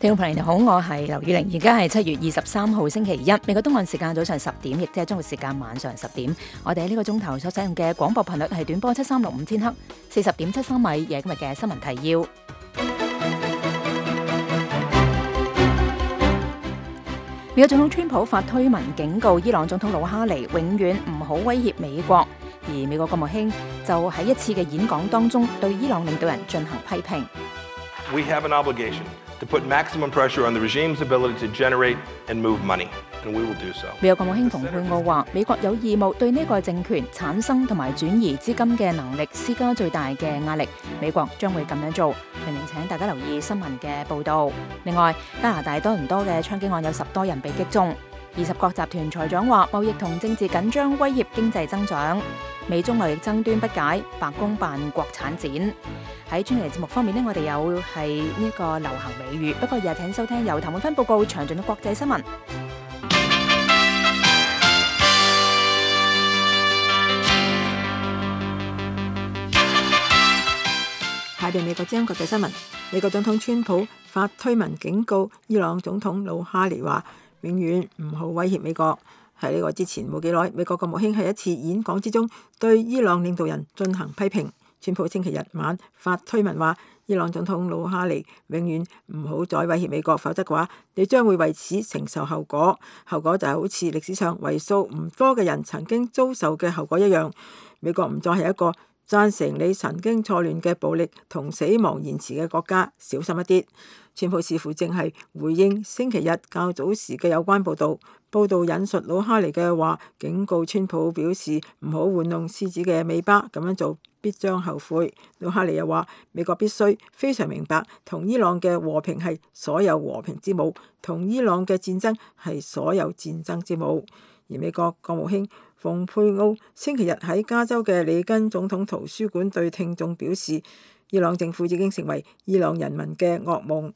聽眾朋友你好，我係劉宇玲，而家係7月23號星期一，美國東岸時間早上10點，亦即係中國時間晚上10點。我哋喺呢個鐘頭所使用嘅廣播頻率係短波7365千赫，40.73米，亦係今日嘅新聞提要。美國總統川普發推文警告伊朗總統魯哈尼永遠唔好威脅美國，而美國國務卿就喺一次嘅演講當中對伊朗領導人進行批評。We have an obligation to put maximum pressure on the regime's ability to generate and move money, and we will do so. 美國國務卿蓬佩奧話，美國有義務對呢個政權產生同埋轉移資金嘅能力施加最大嘅壓力。美國將會咁樣做。明明請大家留意新聞嘅報導。另外，加拿大多倫多嘅槍擊案有10多人被擊中。20國集團財長話，貿易同政治緊張威脅經濟增長。美中貿易爭端不解，白宮辦國產展。喺專題節目方面呢，我哋有係呢個流行美語，不過日請收聽由譚滿芬報告詳盡嘅國際新聞。下邊美國之音國際新聞，美國總統川普發推文警告伊朗總統魯哈尼話，永遠唔好威脅美國。喺呢個之前冇幾耐，美國國務卿喺一次演講之中對伊朗領導人進行批評。川普星期日晚發推文話，伊朗總統魯哈尼永遠唔好再威脅美國，否則嘅話，你將會為此承受後果。後果就係好似歷史上為數唔多嘅人曾經遭受嘅後果一樣。美國唔再係一個贊成你神經錯亂嘅暴力同死亡言辭嘅國家，小心一啲。川普似乎正係回應星期日較早時嘅有關報導。報導引述魯哈尼嘅話，警告川普表示唔好玩弄獅子嘅尾巴，咁樣做必將後悔。魯哈尼又話，美國必須非常明白，同伊朗嘅和平係所有和平之母，同伊朗嘅戰爭係所有戰爭之母。而美國國務卿蓬佩奧星期日喺加州嘅里根總統圖書館對聽眾表示，伊朗政府已經成為伊朗人民嘅噩夢。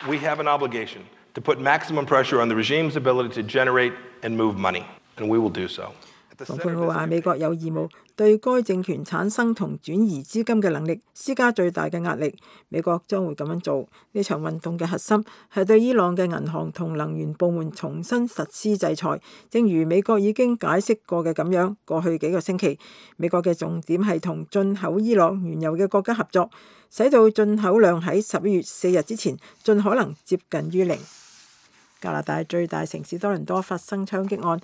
We have an obligation to put maximum pressure on the regime's ability to generate and move money, and we will do so. 蓬佩奧話，美國有義務對該政權產生同轉移資金嘅能力施加最大嘅壓力。美國將會咁樣做。呢場運動嘅核心係對伊朗嘅銀行同能源部門重新實施制裁。正如美國已經解釋過嘅咁樣，過去幾個星期，美國嘅重點係同進口伊朗原油嘅國家合作，使到進口量喺11月4日之前盡可能接近於零。加拿大最大城市多倫多發生槍擊案，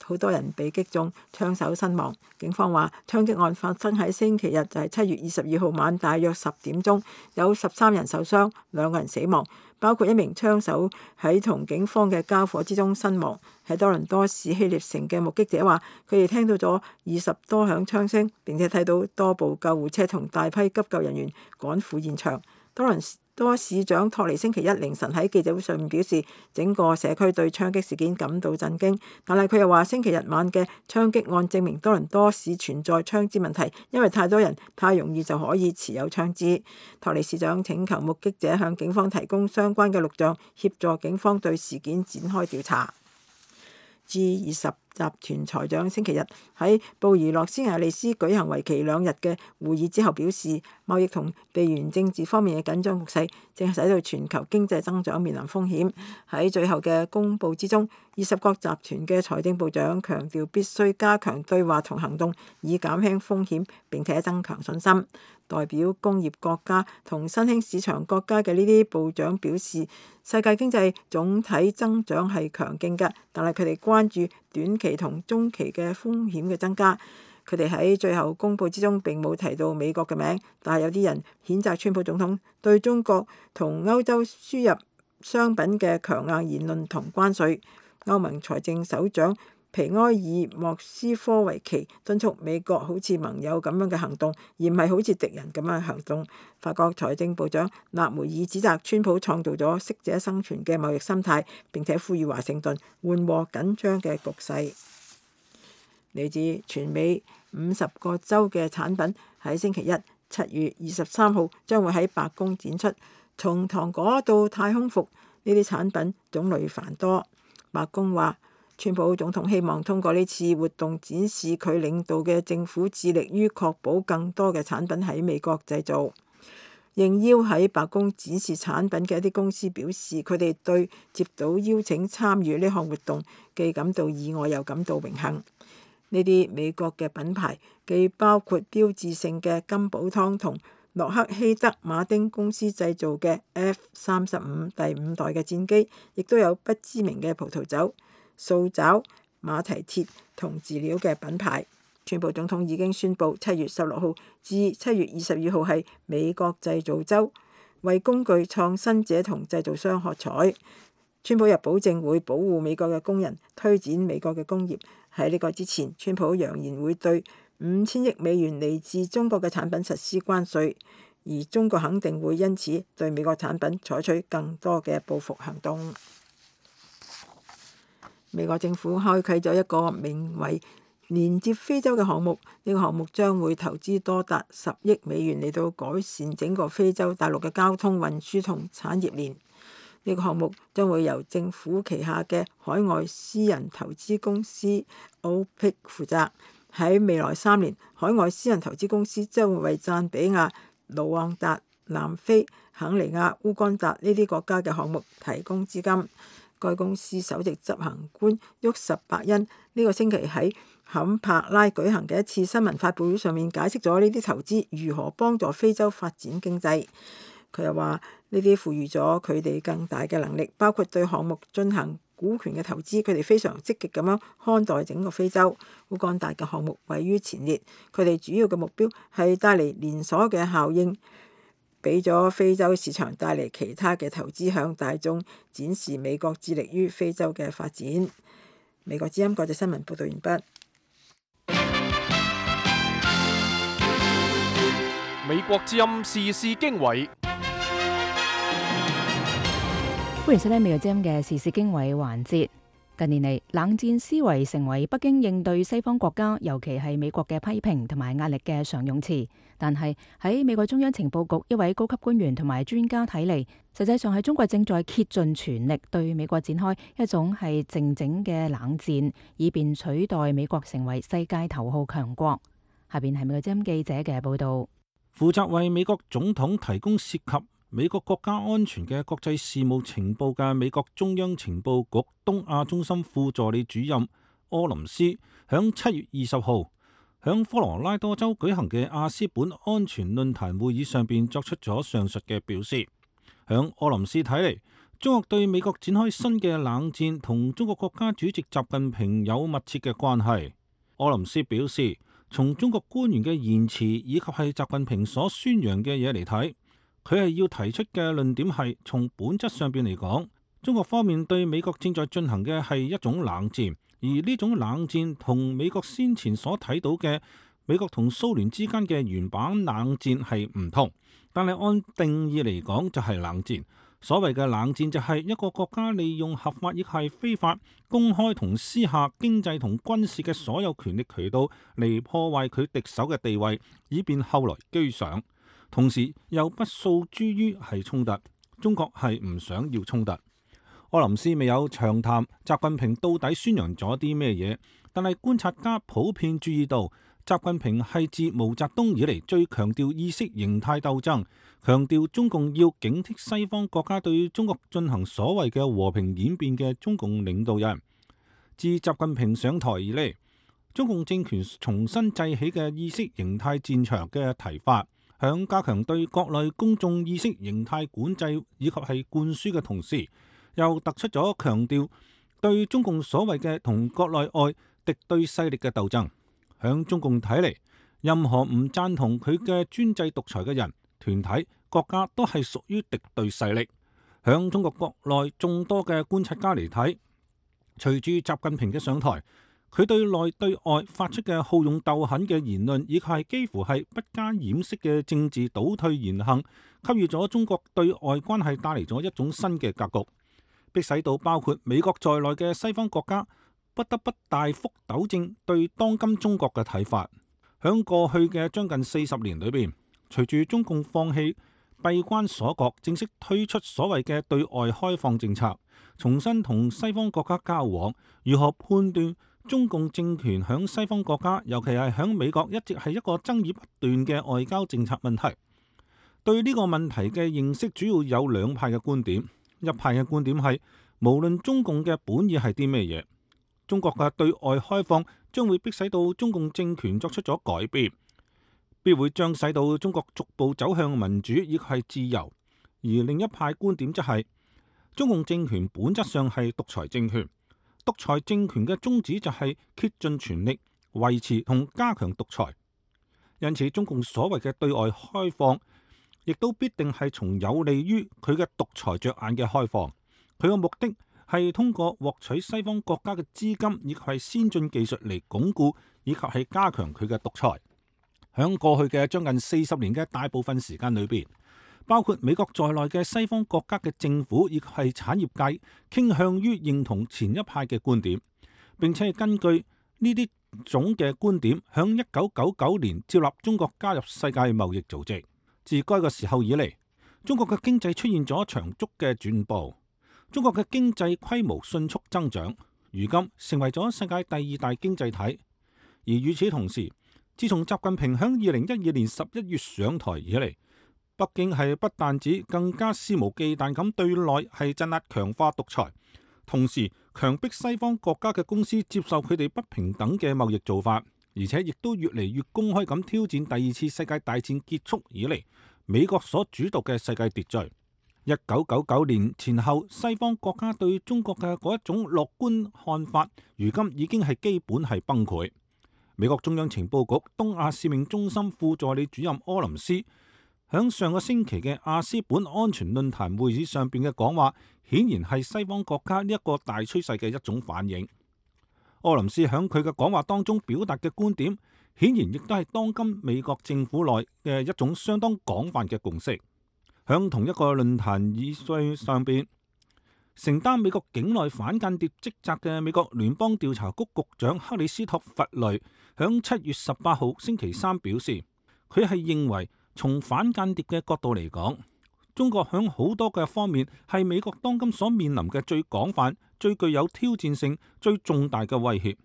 好多人被擊中，槍手身亡。警方話，槍擊案發生喺星期日，就係7月22號晚大約10點鐘，有13人受傷，2個人死亡，包括一名槍手喺同警方嘅交火之中身亡。喺多倫多市希臘城嘅目擊者話，佢哋聽到咗20多響槍聲，並且睇到多部救護車同大批急救人員趕赴現場。多倫多市長托尼星期一凌晨喺記者會上面表示，整個社區對槍擊事件感到震驚，但係佢又話星期日晚嘅槍擊案證明多倫多市存在槍支問題，因為太多人太容易就可以持有槍支。托尼市長請求目擊者向警方提供相關嘅錄像，協助警方對事件展開調查。G20 集團財長星期日喺布宜諾斯艾利斯舉行為期2日嘅會議之後表示，貿易同地緣政治方面嘅緊張局勢正係使到全球經濟增長面臨風險。喺最後嘅公佈之中，20國集團嘅財政部長強調必須加強對話同行動，以減輕風險並且增強信心。代表工業國家同新興市場國家嘅呢啲部長表示，世界經濟總體增長係強勁嘅，但係佢哋關注短期同中期嘅風險嘅增加。佢哋喺最後公佈之中並冇提到美國嘅名，但係有啲人譴責川普總統對中國同歐洲輸入商品嘅強硬言論同關稅。歐盟財政首長皮埃爾莫斯科維奇敦促美國好似盟友咁樣嘅行動，而唔係好似敵人咁樣嘅行動。法國財政部長納梅爾指責川普創造咗適者生存嘅貿易心態，並且呼籲華盛頓緩和緊張嘅局勢。嚟自全美50個州嘅產品喺星期一7月23號將會喺白宮展出，從糖果到太空服，呢啲產品種類繁多。白宮話，川普總統希望通過呢次活動展示佢領導嘅政府致力於確保更多嘅產品喺美國製造。應邀喺白宮展示產品嘅一啲公司表示，佢哋對接到邀請參與呢項活動既感到意外又感到榮幸。呢啲美國嘅品牌既包括標誌性嘅金寶湯同洛克希德馬丁公司製造嘅 F-35第5代嘅戰機，亦都有不知名嘅葡萄酒、塑膠、馬蹄鐵同飼料嘅品牌。川普總統已經宣布7月16號至7月22號係美國製造週，為工具創新者同製造商喝彩。川普又保證會保護美國嘅工人，推展美國嘅工業。喺呢個之前，川普揚言會對5000億美元嚟自中國嘅產品實施關稅，而中國肯定會因此對美國產品採取更多嘅報復行動。美國政府開啟咗一個名為連接非洲嘅項目，呢個項目將會投資多達10億美元嚟到改善整個非洲大陸嘅交通運輸同產業鏈。呢個項目將會由政府旗下嘅海外私人投資公司 OPIC 負責。喺未來3年，海外私人投資公司將會為贊比亞、盧旺達、南非、肯尼亞、烏干達呢啲國家嘅項目提供資金。該公司首席執行官沃什伯恩呢個星期喺坎帕拉舉行嘅一次新聞發佈會上面解釋咗呢啲投資如何幫助非洲發展經濟。佢又話呢啲賦予咗佢哋更大嘅能力，包括對項目進行股權嘅投資。佢哋非常積極咁樣看待整個非洲。烏干達嘅項目位於前列，佢哋主要嘅目標係帶嚟連鎖嘅效應，俾咗非洲市場帶嚟其他嘅投資，向大眾展示美國致力於非洲嘅發展。美國之音國際新聞報道完畢。美國之音時事經緯，歡迎收聽美國之音嘅時事經緯環節。近年嚟，冷戰思維成為北京應對西方國家，尤其係美國嘅批評同埋壓力嘅常用詞。但係喺美國中央情報局一位高級官員同埋專家睇嚟，實際上係中國正在竭盡全力對美國展開一種係靜靜嘅冷戰，以便取代美國成為世界頭號強國。下邊係美國之音記者嘅報道。負責為美國總統提供涉及美國國家安全嘅國際事務情報嘅美國中央情報局東亞中心副助理主任柯林斯，響7月20號響科羅拉多州舉行嘅亞斯本安全論壇會議上邊作出咗上述嘅表示。響柯林斯睇嚟，中國對美國展開新嘅冷戰同中國國家主席習近平有密切嘅關係。柯林斯表示，從中國官員嘅言辭以及係習近平所宣揚嘅嘢嚟睇，佢係要提出嘅論點係從本質上邊嚟講，中國方面對美國正在進行嘅係一種冷戰，而呢種冷戰同美國先前所睇到嘅美國同蘇聯之間嘅原版冷戰係唔同，但係按定義嚟講就係冷戰。所謂嘅冷戰就係一個國家利用合法亦係非法、公開同私下經濟同軍事嘅所有權力渠道嚟破壞佢敵手嘅地位，以便後來居上。同時又不訴諸於係衝突。中國係唔想要衝突。柯林斯未有長談習近平到底宣揚咗啲咩嘢，但係觀察家普遍注意到，習近平係自毛澤東以嚟最強調意識形態鬥爭，強調中共要警惕西方國家對中國進行所謂嘅和平演變嘅中共領導人。自習近平上台以嚟，中共政權重新製起嘅意識形態戰場嘅提法，響加強對國內公眾意識形態管制以及係灌輸嘅同時，又突出咗強調對中共所謂嘅同國內外敵對勢力嘅鬥爭。響中共睇嚟，任何唔贊同佢嘅專制獨裁嘅人、團體、國家都係屬於敵對勢力。響中國國內眾多嘅觀察家嚟睇，隨住習近平嘅上台，佢對內對外發出嘅好勇鬥狠嘅言論，以及係幾乎係不加掩飾嘅政治倒退言行，給予咗中國對外關係帶嚟咗一種新嘅格局，迫使到包括美國在內嘅西方國家不得不大幅糾正對當今中國嘅睇法。響過去嘅將近40年裏邊，隨住中共放棄閉關鎖國，正式推出所謂嘅對外開放政策，重新同西方國家交往，如何判斷中共政權響西方國家，尤其係響美國，一直係一個爭議不斷嘅外交政策問題。對呢個問題嘅認識主要有兩派嘅觀點。一派嘅觀點係，無論中共嘅本意係啲咩嘢，中國嘅對外開放將會迫使到中共政權作出咗改變，必會將使到中國逐步走向民主亦係自由。而另一派觀點則係，中共政權本質上係獨裁政權，獨裁政權嘅宗旨就係竭盡全力維持同加強獨裁。因此，中共所謂嘅對外開放，亦都必定係從有利於佢嘅獨裁着眼嘅開放。佢嘅目的係通過獲取西方國家嘅資金，以及係先進技術嚟鞏固以及係加強佢嘅獨裁。響過去嘅將近40年嘅大部分時間裏邊，包括美國在內嘅西方國家嘅政府以及係產業界傾向於認同前一派嘅觀點，並且係根據呢啲總嘅觀點，響1999年接納中國加入世界貿易組織。自該個時候以嚟，中國嘅經濟出現咗長足嘅轉步，中國嘅經濟規模迅速增長，如今成為咗世界第2大經濟體。而與此同時，自從習近平響2012年11月上台以嚟，北京係不但止更加肆無忌憚咁對內係鎮壓強化獨裁，同時強迫西方國家嘅公司接受佢哋不平等嘅貿易做法，而且亦都越嚟越公開咁挑戰第2次世界大戰結束以嚟美國所主導嘅世界秩序。1999年前後，西方國家對中國嘅嗰一種樂觀看法，如今已經係基本係崩潰。美國中央情報局東亞使命中心副助理主任柯林斯響上個星期嘅亞斯本安全論壇會議上邊嘅講話，顯然係西方國家呢一個大趨勢嘅一種反應。柯林斯響佢嘅講話當中表達嘅觀點，顯然亦都係當今美國政府內嘅一種相當廣泛嘅共識。響同一個論壇議會上邊，承擔美國境內反間諜職責嘅美國聯邦調查局局長克里斯托弗雷響7月18號星期三表示，佢係認為從反間諜嘅角度嚟講，中國響好多嘅方面係美國當今所面臨嘅最廣泛、最具有挑戰性、最重大嘅威脅。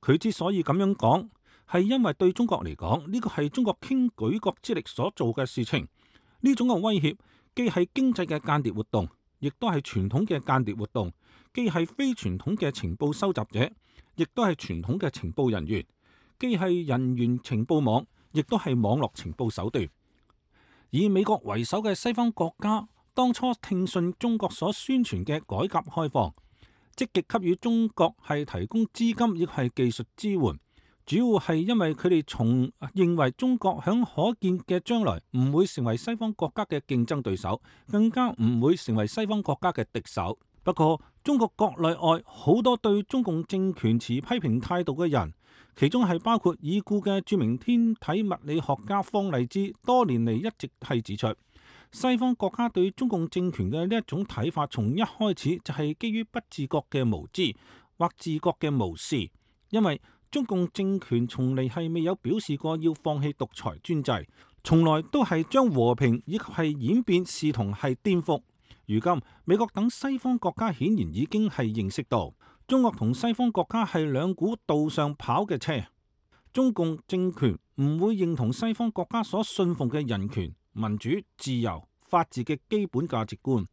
佢之所以咁樣講，係因為對中國嚟講，呢個係中國傾舉國之力所做嘅事情。呢種嘅威脅既係經濟嘅間諜活動，亦都係傳統嘅間諜活動；既係非傳統嘅情報收集者，亦都係傳統嘅情報人員；既係人員情報網，亦都係網絡情報手段。以美國為首嘅西方國家當初聽信中國所宣傳嘅改革開放，積極給予中國係提供資金，亦係技術支援。主要係因為佢哋從認為中國響可見嘅將來唔會成為西方國家嘅競爭對手，更加唔會成為西方國家嘅敵手。不過，中國國內外好多對中共政權持批評態度嘅人，其中係包括已故嘅著名天體物理學家方勵之，多年嚟一直係指出，西方國家對中共政權嘅呢一種睇法，從一開始就係基於不自覺嘅無知或自覺嘅無視，因為中共政權從嚟係未有表示過要放棄獨裁專制，從來都係將和平以及係演變視同係顛覆。如今美國等西方國家顯然已經係認識到，中國同西方國家係兩股道上跑嘅車。中共政權唔會認同西方國家所信奉嘅人權、民主、自由、法治嘅基本價值觀，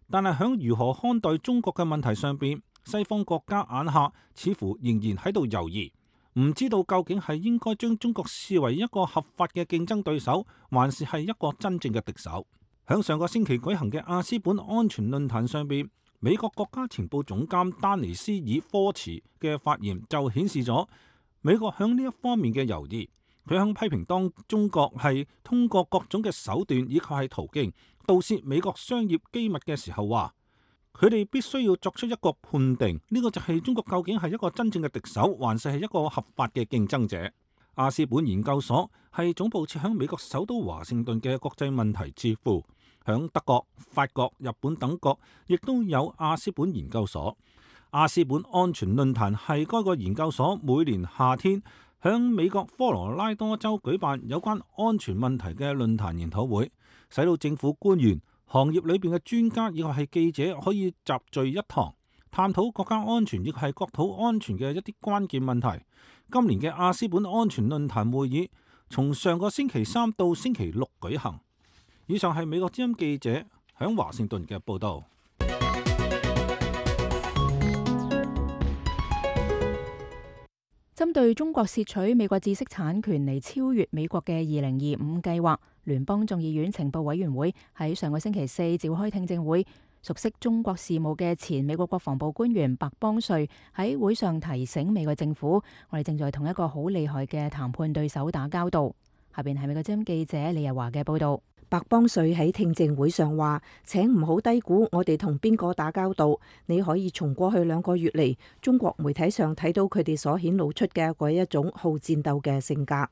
但係響如何看待中國嘅問題上邊，西方國家眼下似乎仍然喺度猶豫。唔知道究竟係應該將中國視為一個合法嘅競爭對手，還是係一個真正嘅敵手。響上個星期舉行嘅亞斯本安全論壇上邊，美國國家情報總監丹尼斯爾科茨嘅發言就顯示咗美國響呢一方面嘅猶豫。佢響批評當中國係通過各種嘅手段以及係途徑盜竊美國商業機密嘅時候話，佢哋必須要作出一個判定，呢個就係中國究竟係一個真正嘅敵手，還是係一個合法嘅競爭者。亞斯本研究所係總部設響美國首都華盛頓嘅國際問題智庫，響德國、法國、日本等國亦都有亞斯本研究所。亞斯本安全論壇係該個研究所每年夏天響美國科羅拉多州舉辦有關安全問題嘅論壇研討會，使到政府官員、行業裏邊嘅專家以及係記者可以集聚一堂，探討國家安全亦係國土安全嘅一啲關鍵問題。今年嘅亞斯本安全論壇會議從上個星期3到星期6舉行，以上係美國之音記者響華盛頓嘅報導。針對中國竊取美國知識產權嚟超越美國嘅2025計劃，聯邦眾議院情報委員會喺上個星期四召開聽證會。熟悉中國事務嘅前美國國防部官員白邦瑞喺會上提醒美國政府，我哋正在同一個好厲害嘅談判對手打交道。下邊係美國之音記者李日華嘅報導。白邦瑞喺聽證會上話：請唔好低估我哋同邊個打交道。你可以從過去2個月嚟中國媒體上睇到佢哋所顯露出嘅嗰一種好戰鬥嘅性格。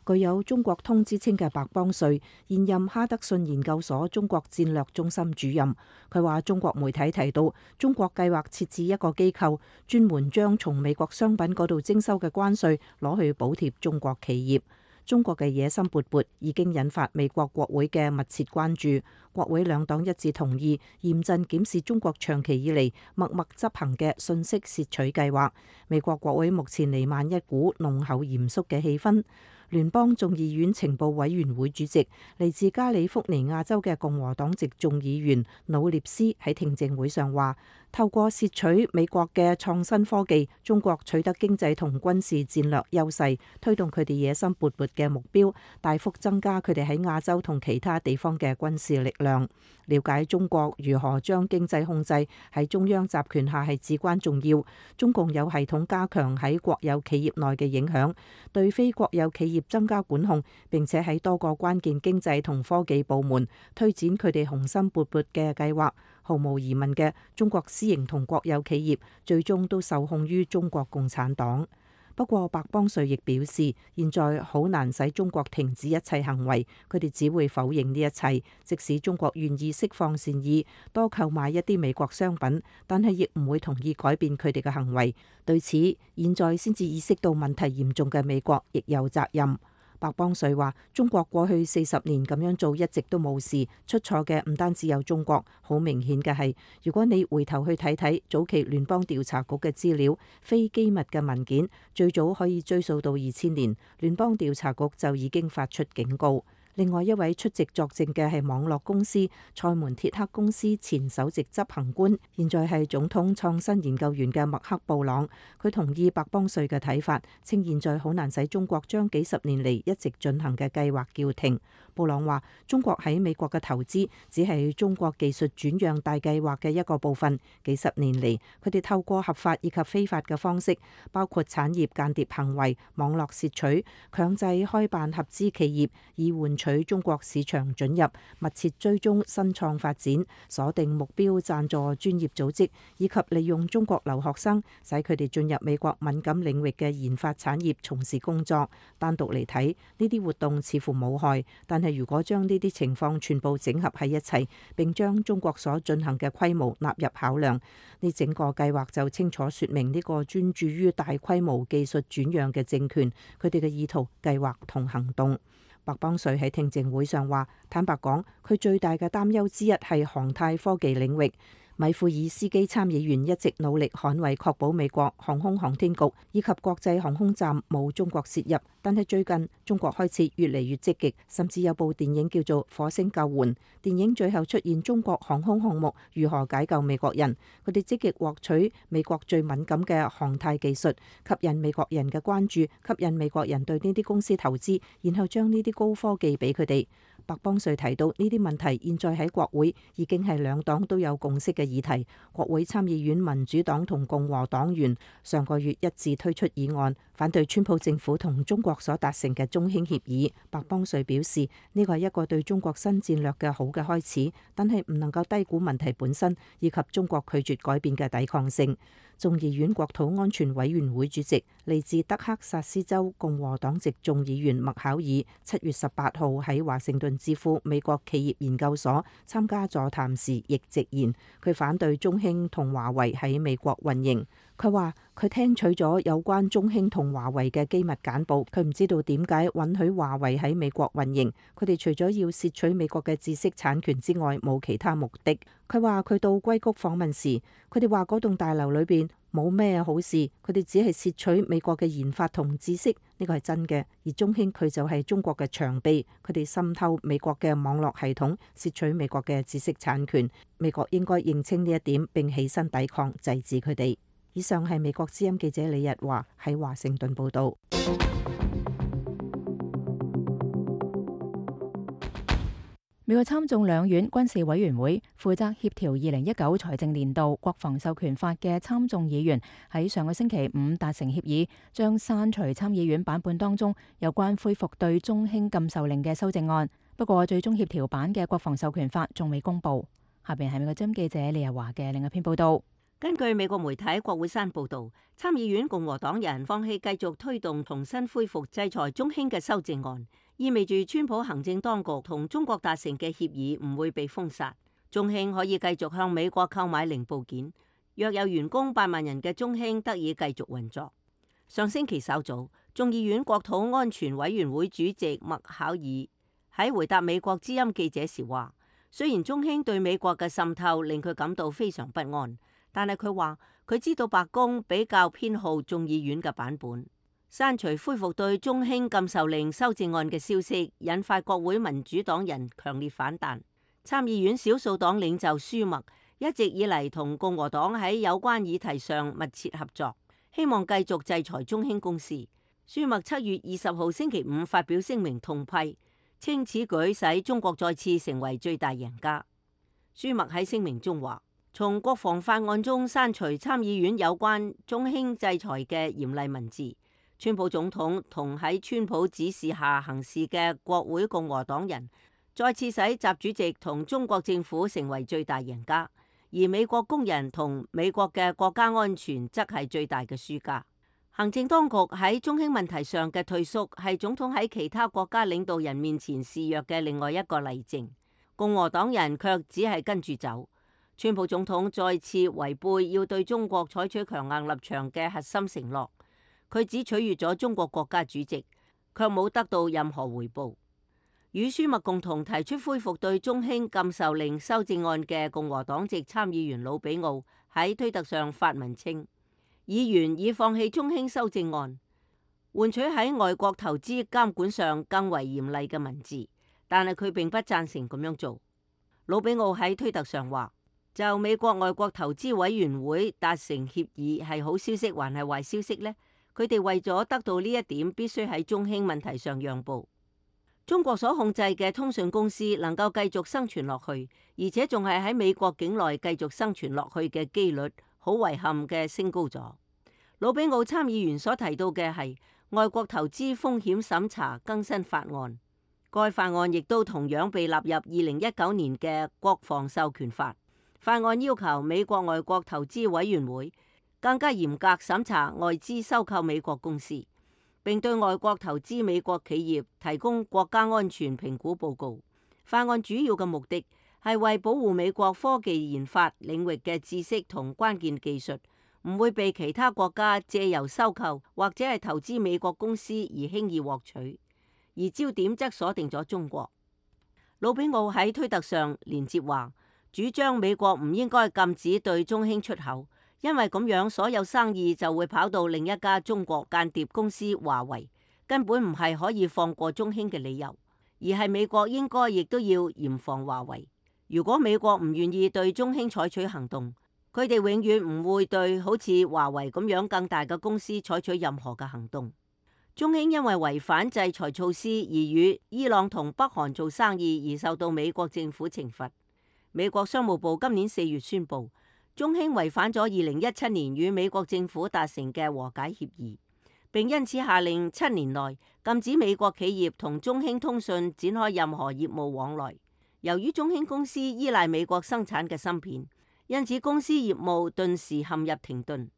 具有中國通之稱嘅白邦瑞，現任哈德遜研究所中國戰略中心主任。佢話中國媒體提到中國計劃設置一個機構，專門將從美國商品嗰度徵收嘅關稅攞去補貼中國企業。中國嘅野心勃勃已經引發美國國會嘅密切關注。國會兩黨一致同意嚴陣檢視中國長期以嚟默默執行嘅信息竊取計劃。美國國會目前瀰漫一股濃厚嚴肅嘅氣氛。聯邦眾議院情報委員會主席嚟自加利福尼亞州嘅共和黨籍眾議員努涅斯喺聽證會上話：透過竊取美國嘅創新科技，中國取得經濟同軍事戰略優勢，推動佢哋野心勃勃嘅目標，大幅增加佢哋喺亞洲同其他地方嘅軍事力量。了解中國如何將經濟控制喺中央集權下係至關重要。中共有系統加強喺國有企業內嘅影響，對非國有企業增加管控，並且喺多個關鍵經濟同科技部門推展佢哋雄心勃勃嘅計劃。毫無疑問嘅，中國私營同國有企業最終都受控於中國共產黨。不過，白邦瑞亦表示，現在好難使中國停止一切行為，佢哋只會否認呢一切。即使中國願意釋放善意，多購買一啲美國商品，但係亦唔會同意改變佢哋嘅行為。對此，現在先至意識到問題嚴重嘅美國亦有責任。白邦瑞話：中國過去40年咁樣做一直都冇事，出錯嘅唔單止有中國。好明顯嘅係，如果你回頭去睇睇早期聯邦調查局嘅資料，非機密嘅文件最早可以追溯到2000年，聯邦調查局就已經發出警告。另外一位出席作證嘅係網絡公司塞門鐵克公司前首席執行官，現在係總統創新研究員嘅麥克布朗。佢同意白邦瑞嘅睇法，稱現在好難使中國將幾十年嚟一直進行嘅計劃叫停。布朗話：中國喺美國嘅投資只係中國技術轉讓大計劃嘅一個部分。幾十年嚟，佢哋透過合法以及非法嘅方式，包括產業間諜行為、網絡竊取、強制開辦合資企業，以換取中國市場准入，密切追蹤新創發展，鎖定目標贊助專業組織，以及利用中國留學生，使佢哋進入美國敏感領域嘅研發產業從事工作。單獨嚟睇，呢啲活動似乎冇害，但係如果將呢啲情況全部整合喺一齊，並將中國所進行嘅規模納入考量，呢整個計劃就清楚說明呢個專注於大規模技術轉讓嘅政權，佢哋嘅意圖、計劃同行動。白邦瑞喺聽證會上話：坦白講，佢最大嘅擔憂之一係航太科技領域。米庫爾斯基參議員一直努力捍衛確保美國航空航天局以及國際航空站冇中國涉入，但係最近中國開始越嚟越積極，甚至有部電影叫做《火星救援》。電影最後出現中國航空項目如何解救美國人，佢哋積極獲取美國最敏感嘅航太技術，吸引美國人嘅關注，吸引美國人對呢啲公司投資，然後將呢啲高科技俾佢哋。白邦瑞提到呢啲問題現在喺國會已經係兩黨都有共識嘅議題。國會參議院民主黨同共和黨員上個月一致推出議案，反對川普政府同中國所達成嘅中興協議。白邦瑞表示呢個係一個對中國新戰略嘅好嘅開始，但係唔能夠低估問題本身以及中國拒絕改變嘅抵抗性。眾議院國土安全委員會主席嚟自德克薩斯州共和黨籍眾議員麥考爾7月18號喺華盛頓智庫美國企業研究所參加座談時亦直言，佢反對中興同華為喺美國運營。佢話佢聽取咗有關中興同華為嘅機密簡報，佢唔知道點解允許華為喺美國運營。佢哋除咗要竊取美國嘅知識產權之外，冇其他目的。佢話佢到硅谷訪問時，佢哋話嗰棟大樓裏邊冇咩好事，佢哋只係竊取美國嘅研發同知識，呢個係真嘅。而中興佢就係中國嘅長臂，佢哋滲透美國嘅網絡系統，竊取美國嘅知識產權。美國應該認清呢一點並起身抵抗，制止佢哋。以上係美國之音記者李日華喺華盛頓報道。美國參眾兩院軍事委員會負責協調2019財政年度國防授權法嘅參眾議員喺上個星期五達成協議，將刪除參議院版本當中有關恢復對中興禁售令嘅修正案。不過最終協調版嘅國防授權法仲未公布。下邊係美國之音記者李日華嘅另一篇報道。根據美國媒體國會山報導，參議院共和黨人放棄繼續推動重新恢復制裁中興嘅修正案，意味住川普行政當局同中國達成嘅協議唔會被封殺，中興可以繼續向美國購買零部件，約有員工8萬人嘅中興得以繼續運作。上星期稍早，眾議院國土安全委員會主席麥考爾喺回答美國之音記者時話，雖然中興對美國嘅滲透令佢感到非常不安，但係佢話佢知道白宮比較偏好眾議院嘅版本。刪除恢復對中興禁售令修正案嘅消息，引發國會民主黨人強烈反彈。參議院少數黨領袖舒默一直以嚟同共和黨喺有關議題上密切合作，希望繼續制裁中興公司。舒默7月20號星期五發表聲明痛批，稱此舉使中國再次成為最大贏家。舒默喺聲明中話，從國防法案中刪除參議院有關中興制裁嘅嚴厲文字，川普總統同喺川普指示下行事嘅國會共和黨人再次使習主席同中國政府成為最大贏家，而美國工人同美國嘅國家安全則係最大嘅輸家。行政當局喺中興問題上嘅退縮係總統喺其他國家領導人面前示弱嘅另外一個例證，共和黨人卻只係跟住走。川普總統再次違背要對中國採取強硬立場嘅核心承諾，佢只取悅咗中國國家主席，卻冇得到任何回報。與舒默共同提出恢復對中興禁售令修正案嘅共和黨籍參議員魯比奧喺推特上發文稱，議員已放棄中興修正案，換取喺外國投資監管上更為嚴厲嘅文字，但係佢並不贊成咁樣做。魯比奧喺推特上話，就美國外國投資委員會達成協議係好消息還係壞消息呢？佢哋為咗得到呢一點，必須喺中興問題上讓步。中國所控制嘅通訊公司能夠繼續生存落去，而且仲係喺美國境內繼續生存落去嘅機率，好遺憾嘅升高咗。魯比奧參議員所提到嘅係外國投資風險審查更新法案，該法案亦都同樣被納入2019年嘅國防授權法。法案要求美國外國投資委員會更加嚴格審查外資收購美國公司，並對外國投資美國企業提供國家安全評估報告。法案主要嘅目的係為保護美國科技研發領域嘅知識同關鍵技術唔會被其他國家借由收購或者係投資美國公司而輕易獲取，而焦點則鎖定咗中國。魯比奧喺推特上連接話，主張美國唔應該禁止對中興出口，因為咁樣所有生意就會跑到另一家中國間諜公司華為，根本唔係可以放過中興嘅理由，而係美國應該亦都要嚴防華為。如果美國唔願意對中興採取行動，佢哋永遠唔會對好似華為咁樣更大嘅公司採取任何嘅行動。中興因為違反制裁措施而與伊朗同北韓做生意而受到美國政府懲罰。美國商務部今年4月宣布，中興違反咗2017年與美國政府達成嘅和解協議，並因此下令7年內禁止美國企業同中興通訊展開任何業務往來。由於中興公司依賴美國生產嘅芯片，因此公司業務頓時陷入停頓。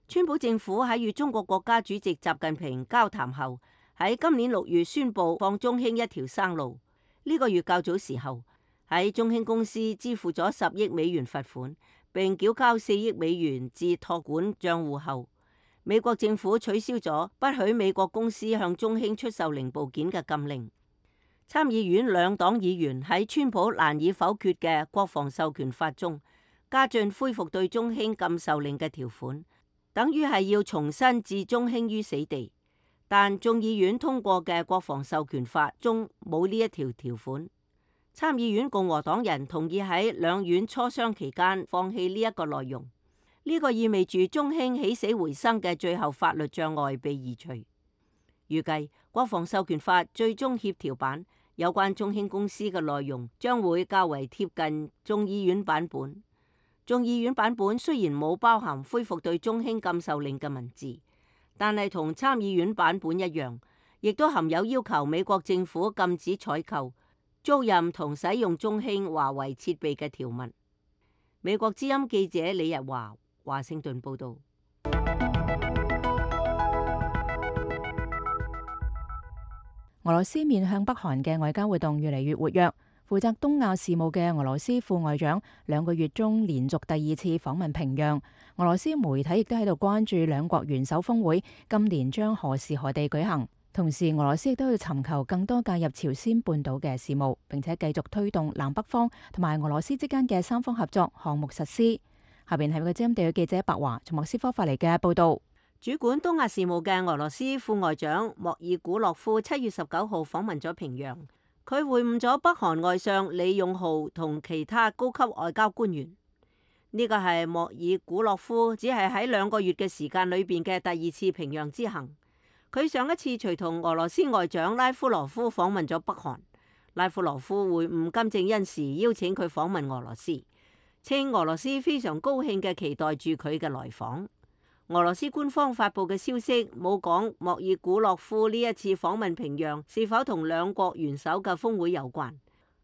川普政府喺與中國國家主席習近平交談後，喺今年6月宣布放中興一條生路。呢個月較早時候，喺中興公司支付咗10億美元罰款，並繳交4億美元至託管賬戶後，美國政府取消咗不許美國公司向中興出售零部件嘅禁令。參議院兩黨議員喺川普難以否決嘅國防授權法中加進恢復對中興禁售令嘅條款，等於係要重新置中興於死地。但眾議院通過嘅國防授權法中冇呢一條條款。參議院共和黨人同意喺兩院磋商期間放棄呢一個內容。呢個意味住中興起死回生嘅最後法律障礙被移除。預計國防授權法最終協調版有關中興公司嘅內容將會較為貼近眾議院版本。眾議院版本雖然冇包含恢復對中興禁售令嘅文字，但係同參議院版本一樣，亦都含有要求美國政府禁止採購、租賃同使用中興華為設備嘅條文。美國之音記者李日華，華盛頓報道。俄羅斯面向北韓嘅外交活動越嚟越活躍。負責東亞事務嘅俄羅斯副外長2個月中連續第2次訪問平壤。俄羅斯媒體亦都喺度關注兩國元首峰會今年將何時何地舉行。同時，俄羅斯亦都要尋求更多介入朝鮮半島嘅事務，並且繼續推動南北方同埋俄羅斯之間嘅3方合作項目實施。下邊係美國之音地嘅記者白華從莫斯科發嚟嘅報道。主管東亞事務嘅俄羅斯副外長莫爾古洛夫7月19號訪問咗平壤，佢會晤咗北韓外相李勇浩同其他高級外交官員。呢個係莫爾古洛夫只係喺2個月嘅時間裏邊嘅第2次平壤之行。佢上一次隨同俄羅斯外長拉夫羅夫訪問咗北韓。拉夫羅夫會晤金正恩時邀請佢訪問俄羅斯，稱俄羅斯非常高興嘅期待住佢嘅來訪。俄羅斯官方發布嘅消息冇講莫爾古洛夫呢一次訪問平壤是否同兩國元首嘅峰會有關，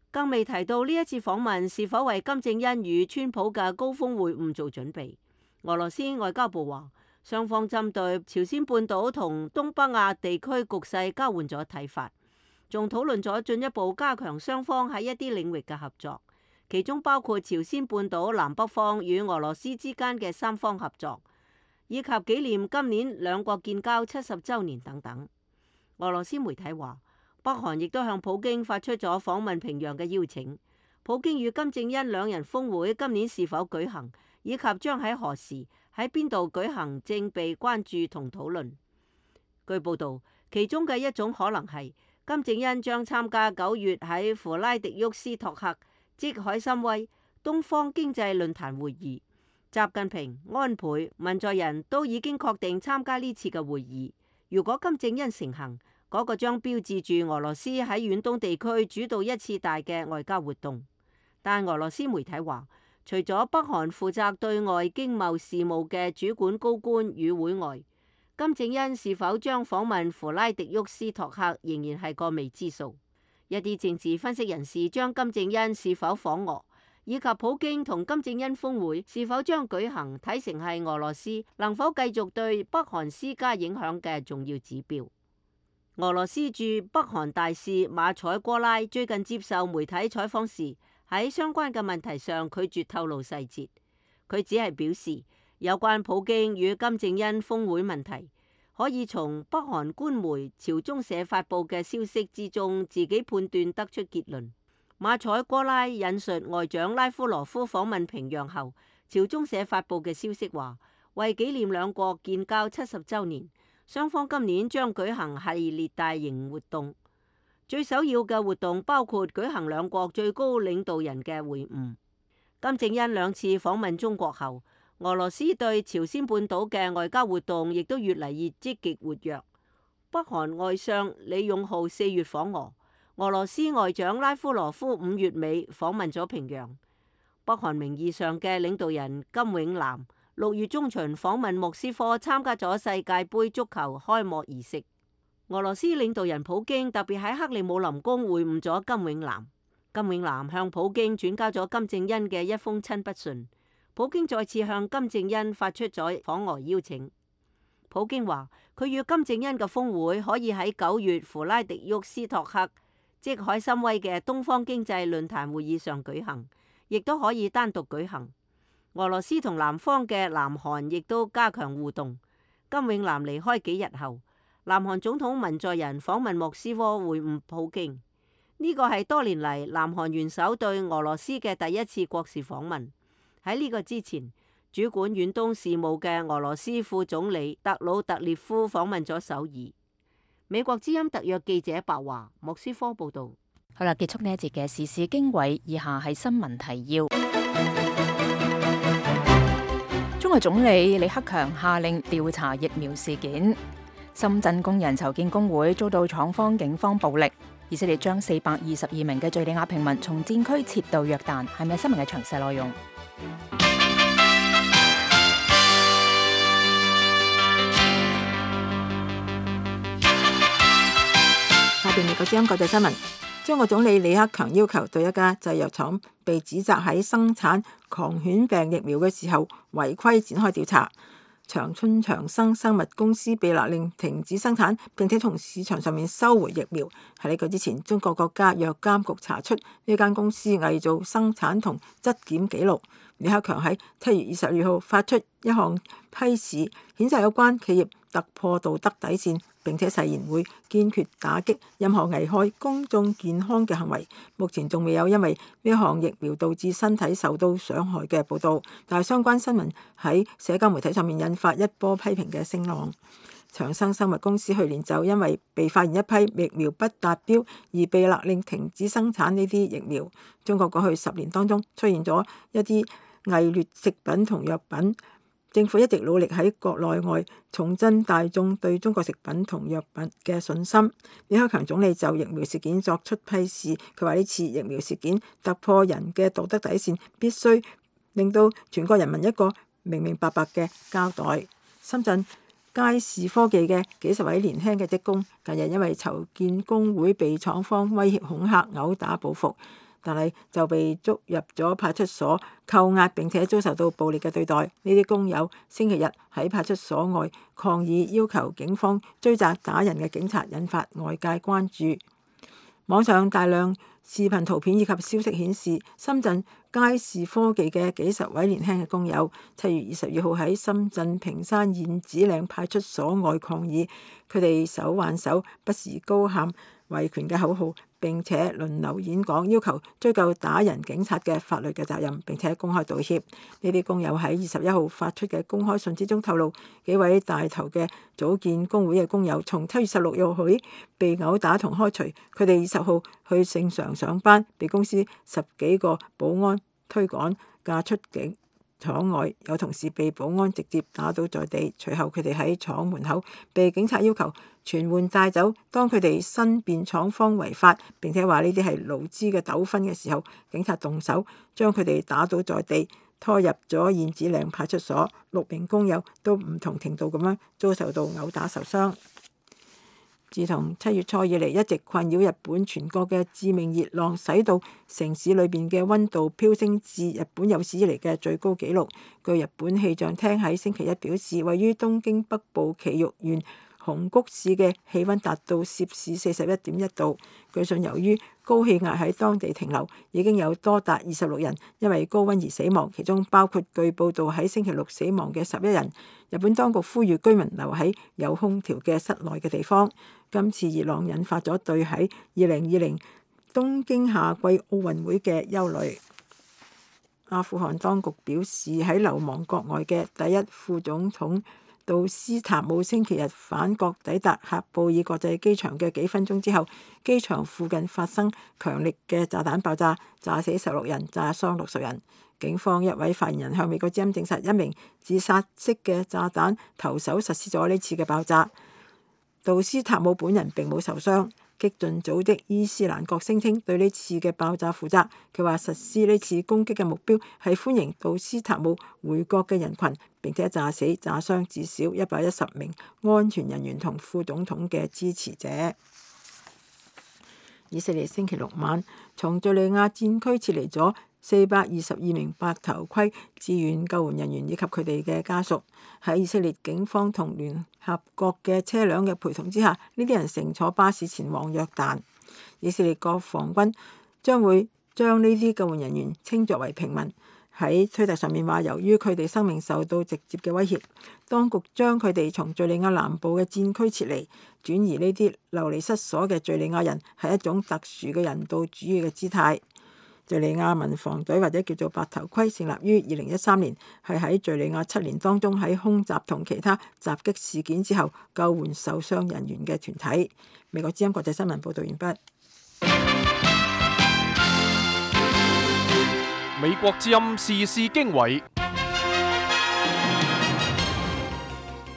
更未提到呢一次訪問是否為金正恩與川普嘅高峰會晤做準備。俄羅斯外交部話，雙方針對朝鮮半島同東北亞地區局勢交換咗睇法，仲討論咗進一步加強雙方喺一啲領域嘅合作，其中包括朝鮮半島南北方與俄羅斯之間嘅3方合作，以及紀念今年兩國建交70週年等等。俄羅斯媒體話，北韓亦都向普京發出咗訪問平壤嘅邀請。普京與金正恩兩人峰會今年是否舉行，以及將喺何時喺邊度舉行，正被關注同討論。據報導，其中嘅一種可能係金正恩將參加9月喺弗拉迪沃斯托克即海參崴東方經濟論壇會議。習近平、安倍、文在寅都已經確定參加呢次嘅會議。如果金正恩成行，嗰個將標誌住俄羅斯喺遠東地區主導一次大嘅外交活動。但俄羅斯媒體話，除咗北韓負責對外經貿事務嘅主管高官與會外，金正恩是否將訪問弗拉迪沃斯托克仍然係個未知數。一啲政治分析人士將金正恩是否訪俄，以及普京同金正恩峰會是否將舉行，睇成係俄羅斯能否繼續對北韓施加影響嘅重要指標。俄羅斯駐北韓大使馬采戈拉最近接受媒體採訪時，喺相關嘅問題上拒絕透露細節。佢只係表示，有關普京與金正恩峰會問題，可以從北韓官媒朝中社發布嘅消息之中自己判斷得出結論。馬采戈拉引述外長拉夫羅夫訪問平壤後，朝中社發布嘅消息話，為紀念兩國建交70週年，雙方今年將舉行系列大型活動。最首要嘅活動包括舉行兩國最高領導人嘅會晤。金正恩2次訪問中國後，俄羅斯對朝鮮半島嘅外交活動亦都越嚟越積極活躍。北韓外相李勇浩4月訪俄，俄羅斯外長拉夫羅夫5月尾訪問咗平壤。北韓名義上嘅領導人金永南6月中旬訪問莫斯科，參加咗世界盃足球開幕儀式。俄羅斯領導人普京特別喺克里姆林宮會晤咗金永南。金永南向普京轉交咗金正恩嘅一封親筆信。普京再次向金正恩發出咗訪俄邀請。普京話，佢與金正恩嘅峰會可以喺9月弗拉迪沃斯托克即海參崴嘅東方經濟論壇會議上舉行，亦都可以單獨舉行。俄羅斯同南方嘅南韓亦都加強互動。金永南離開幾日後，南韓總統文在寅訪問莫斯科會晤普京。呢個係多年嚟南韓元首對俄羅斯嘅第一次國事訪問。喺呢個之前，主管遠東事務嘅俄羅斯副總理特魯特列夫訪問咗首爾。美國之音特約記者白華，莫斯科報道。好啦，結束呢一節嘅時事經緯，以下係新聞提要。中國總理李克強下令調查疫苗事件。深圳工人籌建工會遭到廠方警方暴力。以色列將422名嘅敘利亞平民從戰區撤到約旦，係咪新聞嘅詳細內容？下邊美國之音國際新聞。中國總理李克強要求對一家製藥廠被指責喺生產狂犬病疫苗嘅時候違規展開調查。長春長生生物公司被勒令停止生產，並且從市場上面收回疫苗。喺呢個之前，中國國家藥監局查出呢間公司偽造生產同質檢記錄。李克強喺7月22號發出一項批示，譴責有關企業突破道德底線，並且誓言會堅決打擊任何危害公眾健康嘅行為。目前仲未有因為呢項疫苗導致身體受到傷害嘅報導，但係相關新聞喺社交媒體上面引發一波批評嘅聲浪。長生生物公司去年就因為被發現一批疫苗不達標而被勒令停止生產呢啲疫苗。中國過去10年當中出現咗一啲偽劣食品同藥品，政府一直努力喺國內外重振大眾對中國食品同藥品嘅信心。李克強總理就疫苗事件作出批示，佢話呢次疫苗事件突破人嘅道德底線，必須令到全國人民一個明明白白嘅交代。深圳佳士科技嘅幾十位年輕嘅職工近日因為籌建工會被廠方威脅恐嚇毆打報復，但係就被捉入咗派出所扣押，並且遭受到暴力嘅對待。呢啲工友星期日喺派出所外抗議，要求警方追責打人嘅警察，引發外界關注。網上大量視頻圖片以及消息顯示，深圳佳士科技嘅幾十位年輕嘅工友7月22號喺深圳坪山燕子嶺派出所外抗議，佢哋手挽手，不時高喊維權嘅口號，並且輪流演講，要求追究打人警察嘅法律嘅責任，並且公開道歉。呢啲工友喺21號發出嘅公開信之中透露，幾位帶頭嘅組建工會嘅工友從7月16號起被毆打同開除，佢哋20號去正常上班，被公司10幾個保安推趕架出境廠外，有同事被保安直接打倒在地，隨後佢哋喺廠門口被警察要求全換帶走。當佢哋申辯廠方違法，並且話呢啲係勞資嘅糾紛嘅時候，警察動手將佢哋打倒在地，拖入咗燕子嶺派出所。6名工友都唔同程度咁樣遭受到毆打受傷。自從7月初以嚟，一直困擾日本全國嘅致命熱浪，使到城市裏邊嘅溫度飆升至日本有史以嚟嘅最高紀錄。據日本氣象廳喺星期一表示，位於東京北部埼玉縣熊谷市嘅氣溫達到攝氏41.1度。據信由於高氣壓喺當地停留，已經有多達26人因為高溫而死亡，其中包括據報道喺星期六死亡嘅11人。日本當局呼籲居民留喺有空調嘅室內嘅地方。今次熱浪引發咗對喺2020東京夏季奧運會嘅憂慮。阿富汗當局表示，喺流亡國外嘅第一副總統杜斯塔姆星期日返國抵達喀布爾國際機場嘅幾分鐘之後，機場附近發生強力嘅炸彈爆炸，炸死16人，炸傷60人。警方一位發言人向美國之音證實，一名自殺式嘅炸彈投手實施咗呢次嘅爆炸。杜斯塔姆本人並冇受傷。激進組織伊斯蘭國聲稱對呢次嘅爆炸負責。佢話實施呢次攻擊嘅目標係歡迎杜斯塔姆回國嘅人群，並且炸死炸傷至少110名安全人員同副總統嘅支持者。以色列星期六晚從敘利亞戰區撤離咗422名白頭盔志願救援人員以及佢哋嘅家屬。喺以色列警方同聯合國嘅車輛嘅陪同之下，呢啲人乘坐巴士前往約旦。以色列國防軍將會將呢啲救援人員稱作為平民。喺推特上面話，由於佢哋生命受到直接嘅威脅，當局將佢哋從敘利亞南部嘅戰區撤離，轉移呢啲流離失所嘅敘利亞人係一種特殊嘅人道主義嘅姿態。敘利亞民防隊或者叫做白頭盔，成立於2013年，係喺敘利亞7年當中喺空襲同其他襲擊事件之後救援受傷人員嘅團體。美國之音國際新聞報道完畢。美國之音時事經緯，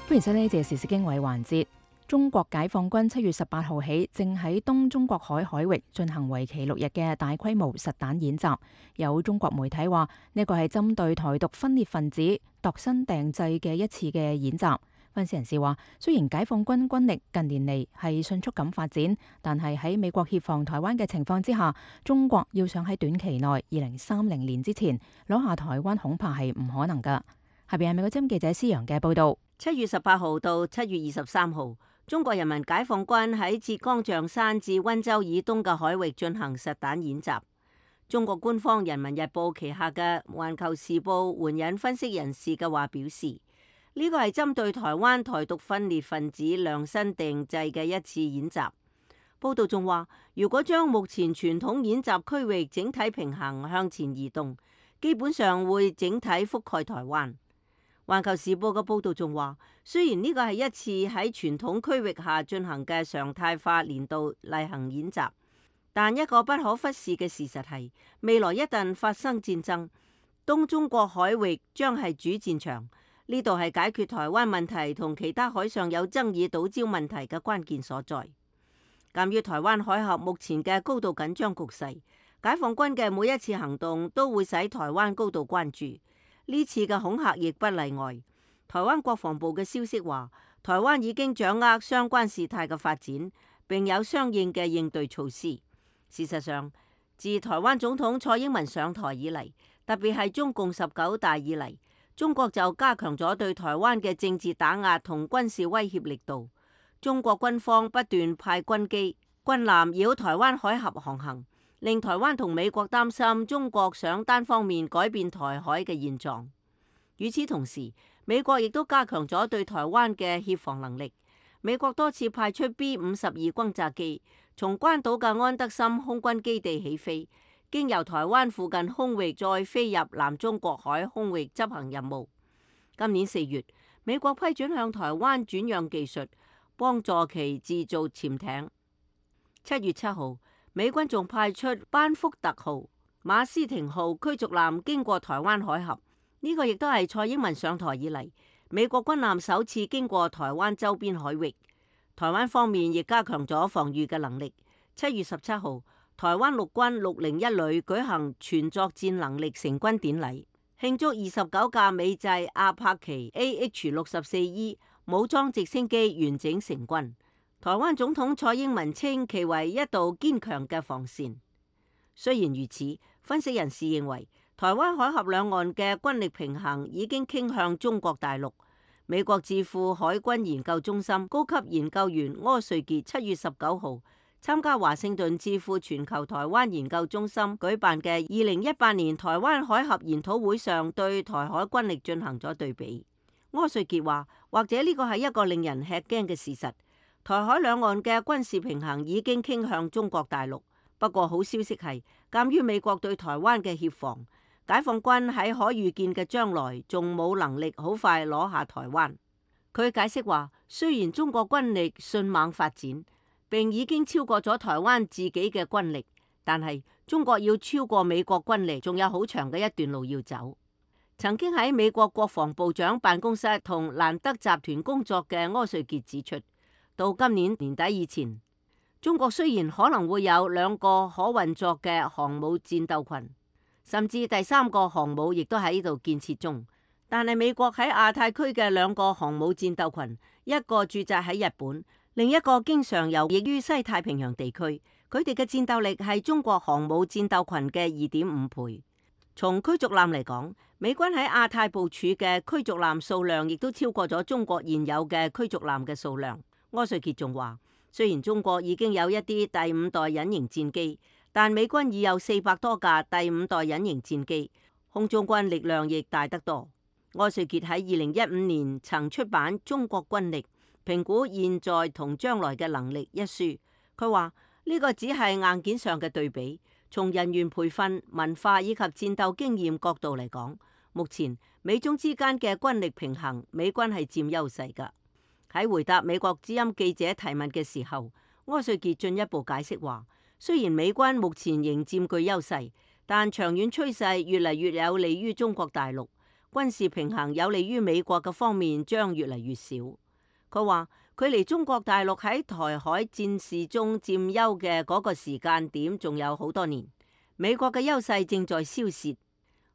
歡迎收聽呢節時事經緯環節。中國解放軍7月18號起，正喺東中國海海域進行為期6日嘅大規模實彈演習。有中國媒體話，呢個係針對台獨分裂分子度身訂製嘅一次嘅演習。分析人士話，雖然解放軍軍力近年嚟係迅速咁發展，但係喺美國協防台灣嘅情況之下，中國要想喺短期內2030年之前攞下台灣，恐怕係唔可能噶。下邊係美國之音記者施洋嘅報道。7月18號到7月23號，中國人民解放軍喺浙江象山至溫州以東嘅海域進行實彈演習。中國官方《人民日報》旗下嘅《環球時報》援引分析人士嘅話表示，呢個係針對台灣台獨分裂分子量身定製嘅一次演習。報道仲話，如果將目前傳統演習區域整體平衡向前移動，基本上會整體覆蓋台灣。環球時報嘅報導仲話，雖然呢個係一次喺傳統區域下進行嘅常態化年度例行演習，但一個不可忽視嘅事實係，未來一旦發生戰爭，東中國海域將係主戰場。呢度係解決台灣問題同其他海上有爭議島礁問題嘅關鍵所在。鑑於台灣海峽目前嘅高度緊張局勢，解放軍嘅每一次行動都會使台灣高度關注。呢次嘅恐嚇亦不例外。台灣國防部嘅消息話，台灣已經掌握相關事態嘅發展，並有相應嘅應對措施。事實上，自台灣總統蔡英文上台以嚟，特別係中共19大以嚟，中國就加強咗對台灣嘅政治打壓同軍事威脅力度。中國軍方不斷派軍機、軍艦繞台灣海峽航行，令台灣同美國擔心中國想單方面改變台海嘅現狀。與此同時，美國亦都加強咗對台灣嘅協防能力。美國多次派出 B-52轟炸機，從關島嘅安德森空軍基地起飛，經由台灣附近空域再飛入南中國海空域執行任務。今年4月，美國批准向台灣轉讓技術，幫助其製造潛艇。7月7號，美軍仲派出班福特號、馬斯廷號驅逐艦經過台灣海峽，呢個亦都係蔡英文上台以嚟美國軍艦首次經過台灣周邊海域。台灣方面亦加強咗防禦嘅能力。7月17號，台灣陸軍601旅舉行全作戰能力成軍典禮，慶祝29架美製阿帕奇 AH-64E 武裝直升機完整成軍。台灣總統蔡英文稱其為一道堅強嘅防線。雖然如此，分析人士認為，台灣海峽兩岸嘅軍力平衡已經傾向中國大陸。美國智庫海軍研究中心高級研究員柯瑞傑7月19號參加華盛頓智庫全球台灣研究中心舉辦嘅2018年台灣海峽研討會上，對台海軍力進行咗對比。柯瑞傑話，或者呢個係一個令人吃驚嘅事實。台海兩岸嘅軍事平衡已經傾向中國大陸。不過好消息係，鑑於美國對台灣嘅協防，解放軍喺可預見嘅將來仲冇能力好快攞下台灣。佢解釋話，雖然中國軍力迅猛發展，並已經超過咗台灣自己嘅軍力，但係中國要超過美國軍力，仲有好長嘅一段路要走。曾經喺美國國防部長辦公室同蘭德集團工作嘅柯瑞傑指出，到今年年底以前，中國雖然可能會有2個可運作嘅航母戰鬥群，甚至第3個航母亦都喺度建設中，但係美國喺亞太區嘅2個航母戰鬥群，一個駐紮喺日本，另一個經常游弋於西太平洋地區，佢哋嘅戰鬥力係中國航母戰鬥群嘅2.5倍。從驅逐艦嚟講，美軍喺亞太部署嘅驅逐艦數量亦都超過咗中國現有嘅驅逐艦嘅數量。柯瑞傑仲話，雖然中國已經有一啲第5代隱形戰機，但美軍已有400多架第5代隱形戰機，空中軍力量亦大得多。柯瑞傑喺2015年曾出版《中國軍力評估現在同將來嘅能力》一書，佢話呢個只係硬件上嘅對比，從人員培訓、文化以及戰鬥經驗角度嚟講，目前美中之間嘅軍力平衡，美軍係佔優勢㗎。喺回答美國之音記者提問嘅時候，柯瑞傑進一步解釋話，雖然美軍目前仍佔據優勢，但長遠趨勢越嚟越有利於中國大陸，軍事平衡有利於美國嘅方面將越嚟越少。佢話距離中國大陸喺台海戰事中佔優嘅嗰個時間點仲有好多年，美國嘅優勢正在消蝕。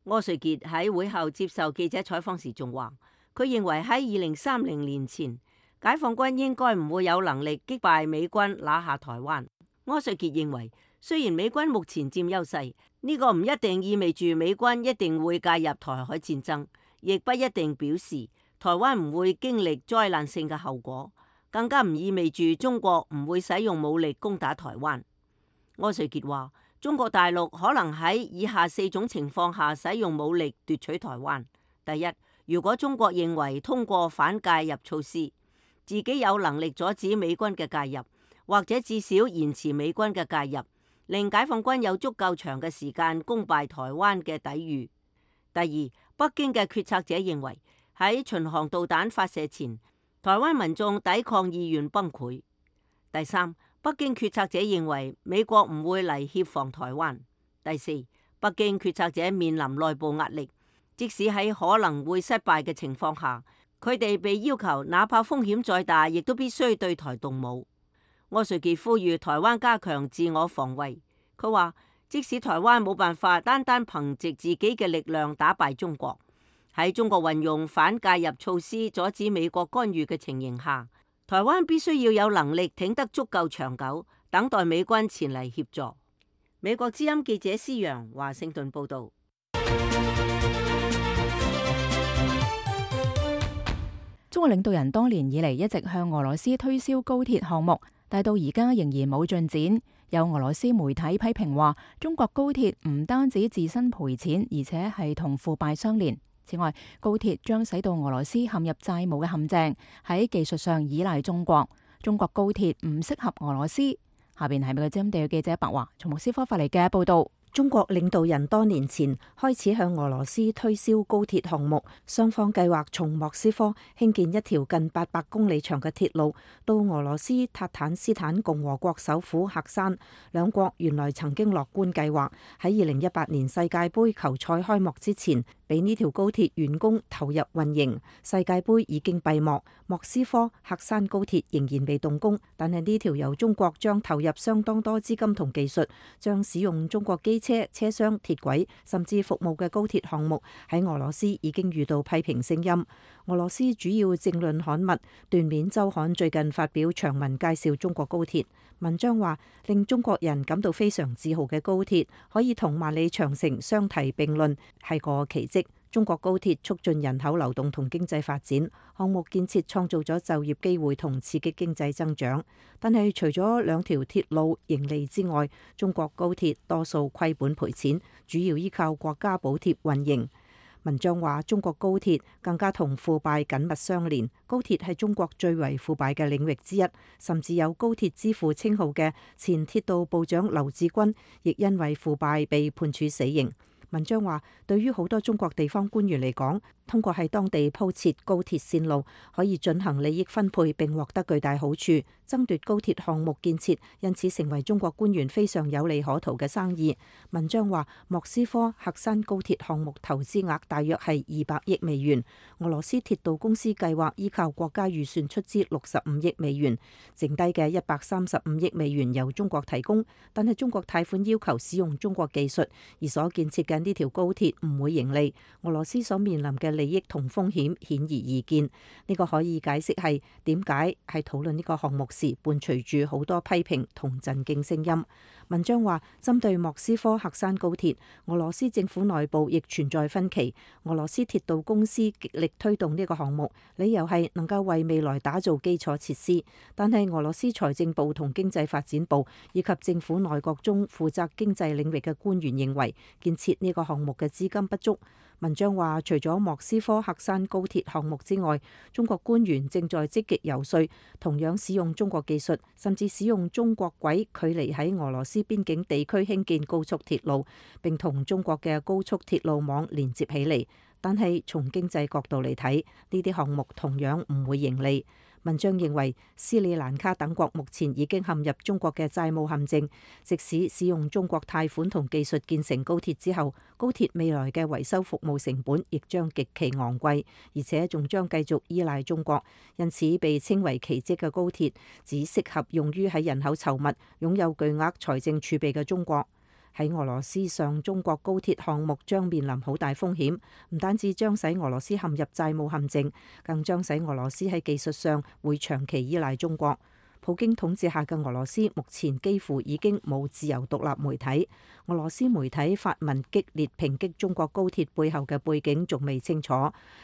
柯瑞傑喺會後接受記者採訪時仲話，佢認為喺2030年前，解放軍應該唔會有能力擊敗美軍拿下台灣。柯瑞傑認為，雖然美軍目前佔優勢，呢個唔一定意味住美軍一定會介入台海戰爭，亦不一定表示台灣唔會經歷災難性嘅後果，更加唔意味住中國唔會使用武力攻打台灣。柯瑞傑話，中國大陸可能喺以下4種情況下使用武力奪取台灣。第一，如果中國認為通過反介入措施，自己有能力阻止美軍嘅介入，或者至少延遲美軍嘅介入，令解放軍有足夠長嘅時間攻敗台灣嘅抵禦。第二，北京嘅決策者認為喺巡航導彈發射前，台灣民眾抵抗意願崩潰。第三，北京決策者認為美國唔會嚟協防台灣。第四，北京決策者面臨內部壓力，即使喺可能會失敗嘅情況下，佢哋被要求，哪怕風險再大，亦都必須對台動武。柯瑞傑呼籲台灣加強自我防衛。佢話，即使台灣冇辦法單單憑藉自己嘅力量打敗中國，喺中國運用反介入措施阻止美國干預嘅情形下，台灣必須要有能力挺得足夠長久，等待美軍前嚟協助。美國之音記者施揚華盛頓報導。中國領導人多年以嚟一直向俄羅斯推銷高鐵項目，但到而家仍然冇進展。有俄羅斯媒體批評話，中國高鐵唔單止自身賠錢，而且係同腐敗相連。此外，高鐵將使到俄羅斯陷入債務嘅陷阱，喺技術上依賴中國。中國高鐵唔適合俄羅斯。下邊係美國之音地記者白華從莫斯科發嚟嘅報道。中國領導人多年前開始向俄羅斯推銷高鐵項目，雙方計劃從莫斯科興建一條近800公里長嘅鐵路到俄羅斯塔坦斯坦共和國首府喀山。兩國原來曾經樂觀計劃喺2018年世界盃球賽開幕之前，俾呢條高鐵完工投入運營。世界盃已經閉幕，莫斯科喀山高鐵仍然未動工，但係呢條由中國將投入相當多資金同技術，將使用中國機車、車廂、鐵軌甚至服務嘅高鐵項目，喺俄羅斯已經遇到批評聲音。俄羅斯主要政論刊物《段面週刊》最近發表長文介紹中國高鐵，文章話令中國人感到非常自豪嘅高鐵可以同萬里長城相提並論，係個奇蹟。中國高鐵促進人口流動同經濟發展，項目建設創造咗就業機會同刺激經濟增長。但係除咗兩條鐵路盈利之外，中國高鐵多數虧本賠錢，主要依靠國家補貼運營。文章話，中國高鐵更加同腐敗緊密相連，高鐵係中國最為腐敗嘅領域之一，甚至有高鐵之父稱號嘅前鐵道部長劉志軍，亦因為腐敗被判處死刑。文章話，對於好多中國地方官員嚟講，通過喺當地鋪設高鐵線路，可以進行利益分配並獲得巨大好處，爭奪高鐵項目建設，因此成為中國官員非常有利可圖嘅生意。文章話，莫斯科喀山高鐵項目投資額大約係200億美元，俄羅斯鐵道公司計劃依靠國家預算出資65億美元，剩低嘅135億美元由中國提供，但係中國貸款要求使用中國技術，而所建設嘅呢條高鐵唔會盈利，俄羅斯所面臨嘅利益同風險顯而易見。呢個可以解釋係點解喺討論呢個項目時伴隨住好多批評同震驚聲音。文章話，針對莫斯科喀山高鐵，俄羅斯政府內部亦存在分歧。俄羅斯鐵道公司極力推動呢個項目，理由係能夠為未來打造基礎設施。但係俄羅斯財政部同經濟發展部以及政府內閣中負責經濟領域嘅官員認為，建設呢個項目嘅資金不足。文章話，除咗莫斯科喀山高鐵項目之外，中國官員正在積極遊說，同樣使用中國技術，甚至使用中國軌距離喺俄羅斯邊境地區興建高速鐵路，並同中國嘅高速鐵路網連接起嚟。但係從經濟角度嚟睇，呢啲項目同樣唔會盈利。文章認為，斯里蘭卡等國目前已經陷入中國嘅債務陷阱，即使使用中國貸款同技術建成高鐵之後，高鐵未來嘅維修服務成本亦將極其昂貴，而且仲將繼續依賴中國。因此，被稱為奇蹟嘅高鐵只適合用於喺人口稠密、擁有巨額財政儲備嘅中國。喺俄羅斯上中國高鐵項目將面臨好大風險，唔單止將使俄羅斯陷入債務陷阱，更將使俄羅斯喺技術上會長期依賴中國。普京統治下嘅俄羅斯目前幾乎已經冇自由獨立媒體。俄羅斯媒體發文激烈抨擊中國高鐵背後嘅背景仲未清楚。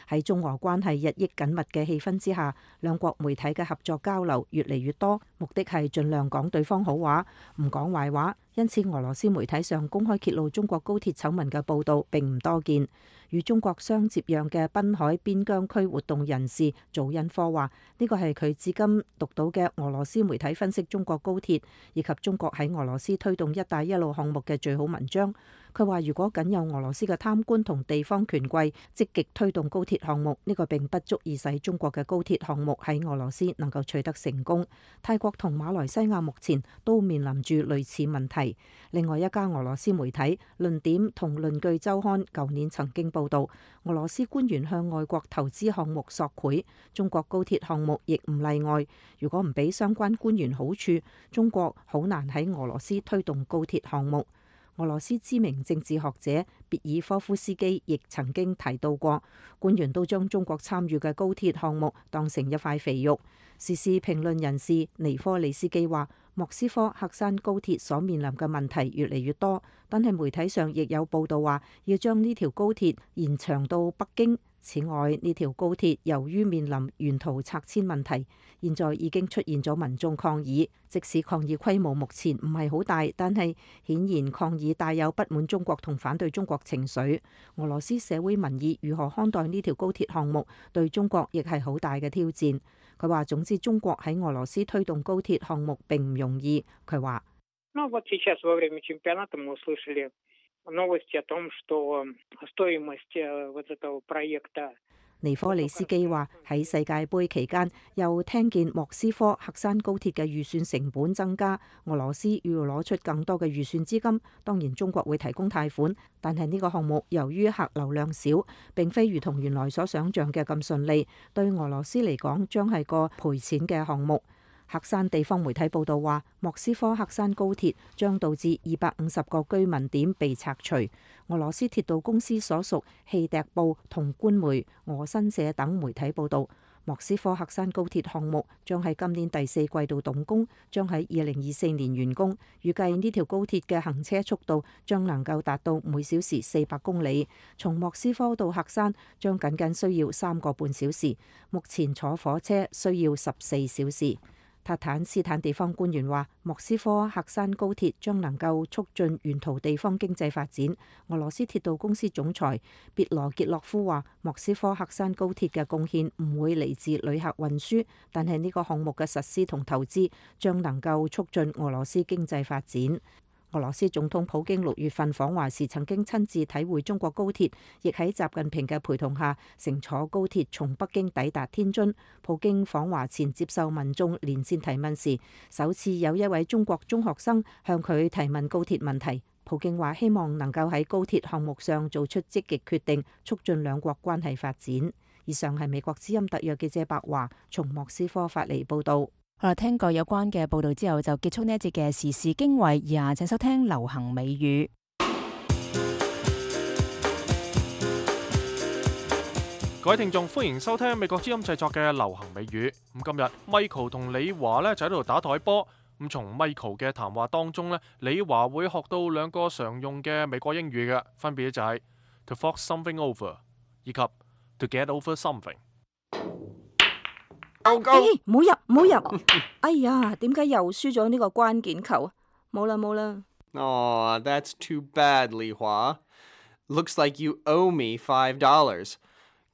喺中俄關係日益緊密嘅氣氛之下，兩國媒體嘅合作交流越嚟越多，目的係盡量講對方好話，唔講壞話。因此，俄羅斯媒體上公開揭露中國高鐵醜聞嘅報導並唔多見。與中國相接壤嘅濱海邊疆區活動人士祖恩科話：呢個係佢至今讀到嘅俄羅斯媒體分析中國高鐵以及中國喺俄羅斯推動「一帶一路」項目嘅最好文章。佢話：如果僅有俄羅斯嘅貪官同地方權貴積極推動高鐵項目，呢個並不足以使中國嘅高鐵項目喺俄羅斯能夠取得成功。泰國同馬來西亞目前都面臨住類似問題。另外一家俄羅斯媒體論點同論據週刊舊年曾經報導，俄羅斯官員向外國投資項目索賄，中國高鐵項目亦唔例外。如果唔俾相關官員好處，中國好難喺俄羅斯推動高鐵項目。俄羅斯知名政治學者別爾科夫斯基亦曾經提到過，官員都將中國參與嘅高鐵項目當成一塊肥肉。時事評論人士尼科利斯基話：莫斯科喀山高鐵所面臨嘅問題越嚟越多，但係媒體上亦有報道話要將呢條高鐵延長到北京。此外，呢條高鐵由於面臨沿途拆遷問題，現在已經出現咗民眾抗議。即使抗議規模目前唔係好大，但係顯然抗議帶有不滿中國同反對中國情緒。俄羅斯社會民意如何看待呢條高鐵項目，對中國亦係好大嘅挑戰。佢話：總之，中國喺俄羅斯推動高鐵項目並唔容易。佢話：尼科利斯基話喺世界盃期間，又聽見莫斯科喀山高鐵嘅預算成本增加，俄羅斯要攞出更多嘅預算資金。當然，中國會提供貸款，但係呢個項目由於客流量少，並非如同原來所想像嘅咁順利，對俄羅斯嚟講將係個賠錢嘅項目。喀山地方媒體報道話，莫斯科喀山高鐵將導致250個居民點被拆除。俄羅斯鐵道公司所屬氣笛報同官媒俄新社等媒體報道，莫斯科喀山高鐵項目將喺今年第4季度動工，將喺2024年完工。預計呢條高鐵嘅行車速度將能夠達到每小時400公里，從莫斯科到喀山將僅需要3個半小時，目前坐火車需要14小時。塔坦斯坦地方官員話，莫斯科喀山高鐵將能夠促進沿途地方經濟發展。俄羅斯鐵道公司總裁別羅傑洛夫話，莫斯科喀山高鐵嘅貢獻唔會嚟自旅客運輸，但係呢個項目嘅實施同投資將能夠促進俄羅斯經濟發展。俄羅斯總統普京6月份訪華時曾經親自體會中國高鐵，亦喺習近平嘅陪同下乘坐高鐵從北京抵達天津。普京訪華前接受民眾連線提問時，首次有一位中國中學生向佢提問高鐵問題。普京話希望能夠喺高鐵項目上做出積極決定，促進兩國關係發展。以上係美國之音特約記者白華從莫斯科發嚟報導。好啦，聽過有關嘅報道之後，就結束呢一節嘅時事經緯。以下請收聽流行美語。各位聽眾，歡迎收聽美國之音製作嘅流行美語。咁今日 Michael 同李華咧就喺度打台波。咁從 Michael 嘅談話當中呢，李華會學到兩個常用嘅美國英語嘅，分別就係 to fork something over 以及 to get over something。唔好入，唔好入！哎呀，點解又輸咗呢個關鍵球啊？冇啦冇啦。Aw, that's too bad, Li Hua. Looks like you owe me $5.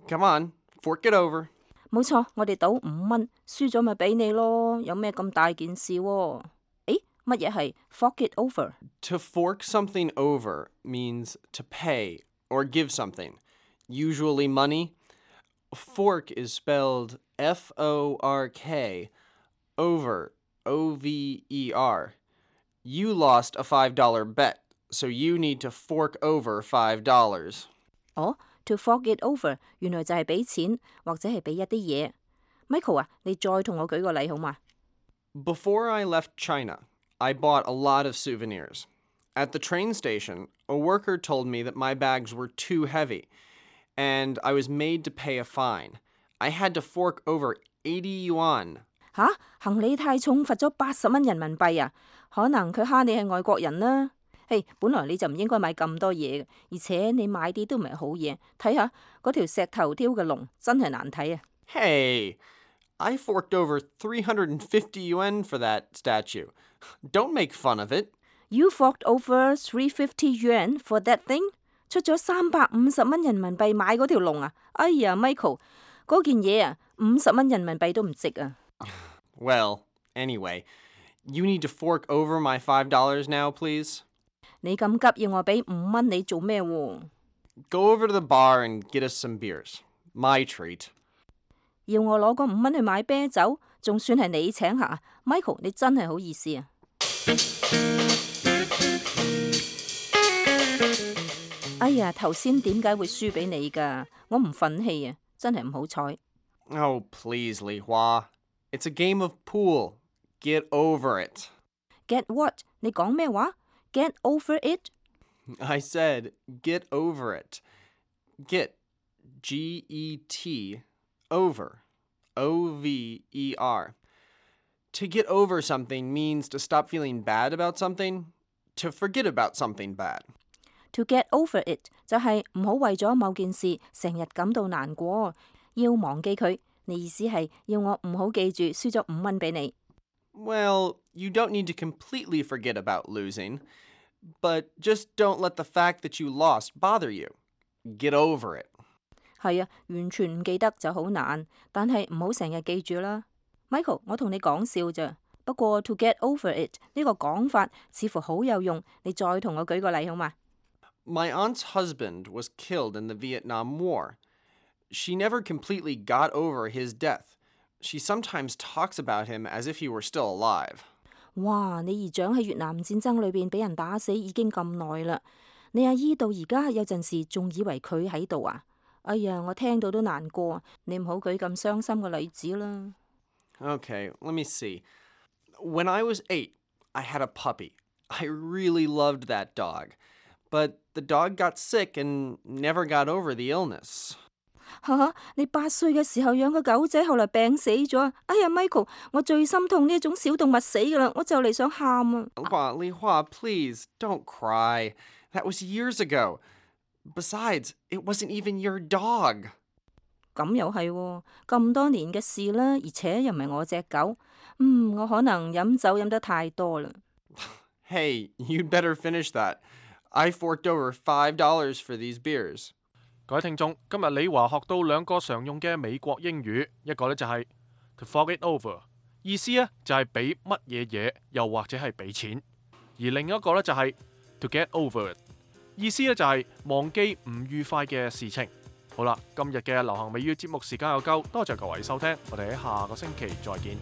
Come on, fork it over. 冇錯，我哋賭5蚊，輸咗咪俾你咯，有咩咁大件事喎？誒，乜嘢係 fork it over？ To fork something over means to pay or give something, usually money. Fork is spelled F-O-R-K, over, O-V-E-R. You lost a $5 bet, so you need to fork over $5. 哦，to fork it over 原來就係俾錢或者係俾一啲嘢。Michael 啊，你再同我舉個例好嘛？ Before I left China, I bought a lot of souvenirs. At the train station, a worker told me that my bags were too heavy, and I was made to pay a fine. I had to fork over 80 yuan. 吓，行李太重，罰咗80蚊人民幣啊！可能佢蝦你係外國人啦。嘿，本來你就唔應該買咁多嘢嘅，而且你買啲都唔係好嘢。睇下嗰條石頭雕嘅龍，真係難睇啊！ Hey, I forked over 350 yuan for that statue. Don't make fun of it. You forked over 350 yuan for that thing？ 出咗350蚊人民幣買嗰條龍啊！哎呀 ，Michael，嗰件嘢啊，50蚊人民幣都唔值啊！ Well, anyway, you need to fork over my $5 now, please. 你咁急要我俾5蚊你做咩喎？ Go over to the bar and get us some beers. My treat. 要我攞嗰5蚊去買啤酒，仲算係你請客啊 ？Michael，你真係好意思啊！哎呀，頭先點解會輸俾你㗎？我唔忿氣啊，真係唔好彩。Oh, please, Li Hua. It's a game of pool. Get over it. Get what？ 你講咩話 ？Get over it？ I said, get over it. Get, G-E-T, over, O-V-E-R. To get over something means to stop feeling bad about something, to forget about something bad. To get over it 就係唔好為咗某件事成日感到難過，要忘記佢。你意思係要我唔好記住輸咗5蚊俾你。Well, you don't need to completely forget about losing, but just don't let the fact that you lost bother you. Get over it. 係啊，完全唔記得就好難，但係唔好成日記住啦。Michael， 我同你講笑咋，不過 to get over it 呢個講法似乎好有用，你再同我舉個例好嘛？ My aunt's husband was killed in the Vietnam War. She never completely got over his death. She sometimes talks about him as if he were still alive. 哇！你姨丈喺越南戰爭裏邊俾人打死已經咁耐啦，你阿姨到而家有陣時仲以為佢喺度啊！哎呀，我聽到都難過，你唔好舉咁傷心嘅例子啦。Okay, let me see. When I was 8, I had a puppy. I really loved that dog. But the dog got sick and never got over the illness. 嚇！你8歲嘅時候養個狗仔，後來病死咗。哎呀 ，Michael， 我最心痛呢一種小動物死㗎啦，我就嚟想喊啊！ Li Hua, please, don't cry. That was years ago. Besides, it wasn't even your dog. 咁又係喎，咁多年嘅事啦，而且又唔係我隻狗。我可能飲酒飲得太多啦。Hey, you'd better finish that. I forked over $5 for these beers. 各位聽眾，今日李華學到兩個常用嘅美國英語，一個呢就係 to fork it over， 意思呢就係俾乜嘢嘢，又或者係俾錢；而另一個呢就係 to get over it， 意思呢就係忘記唔愉快嘅事情。好啦，今日嘅流行美語節目時間又夠，多謝各位收聽，我哋喺下個星期再見。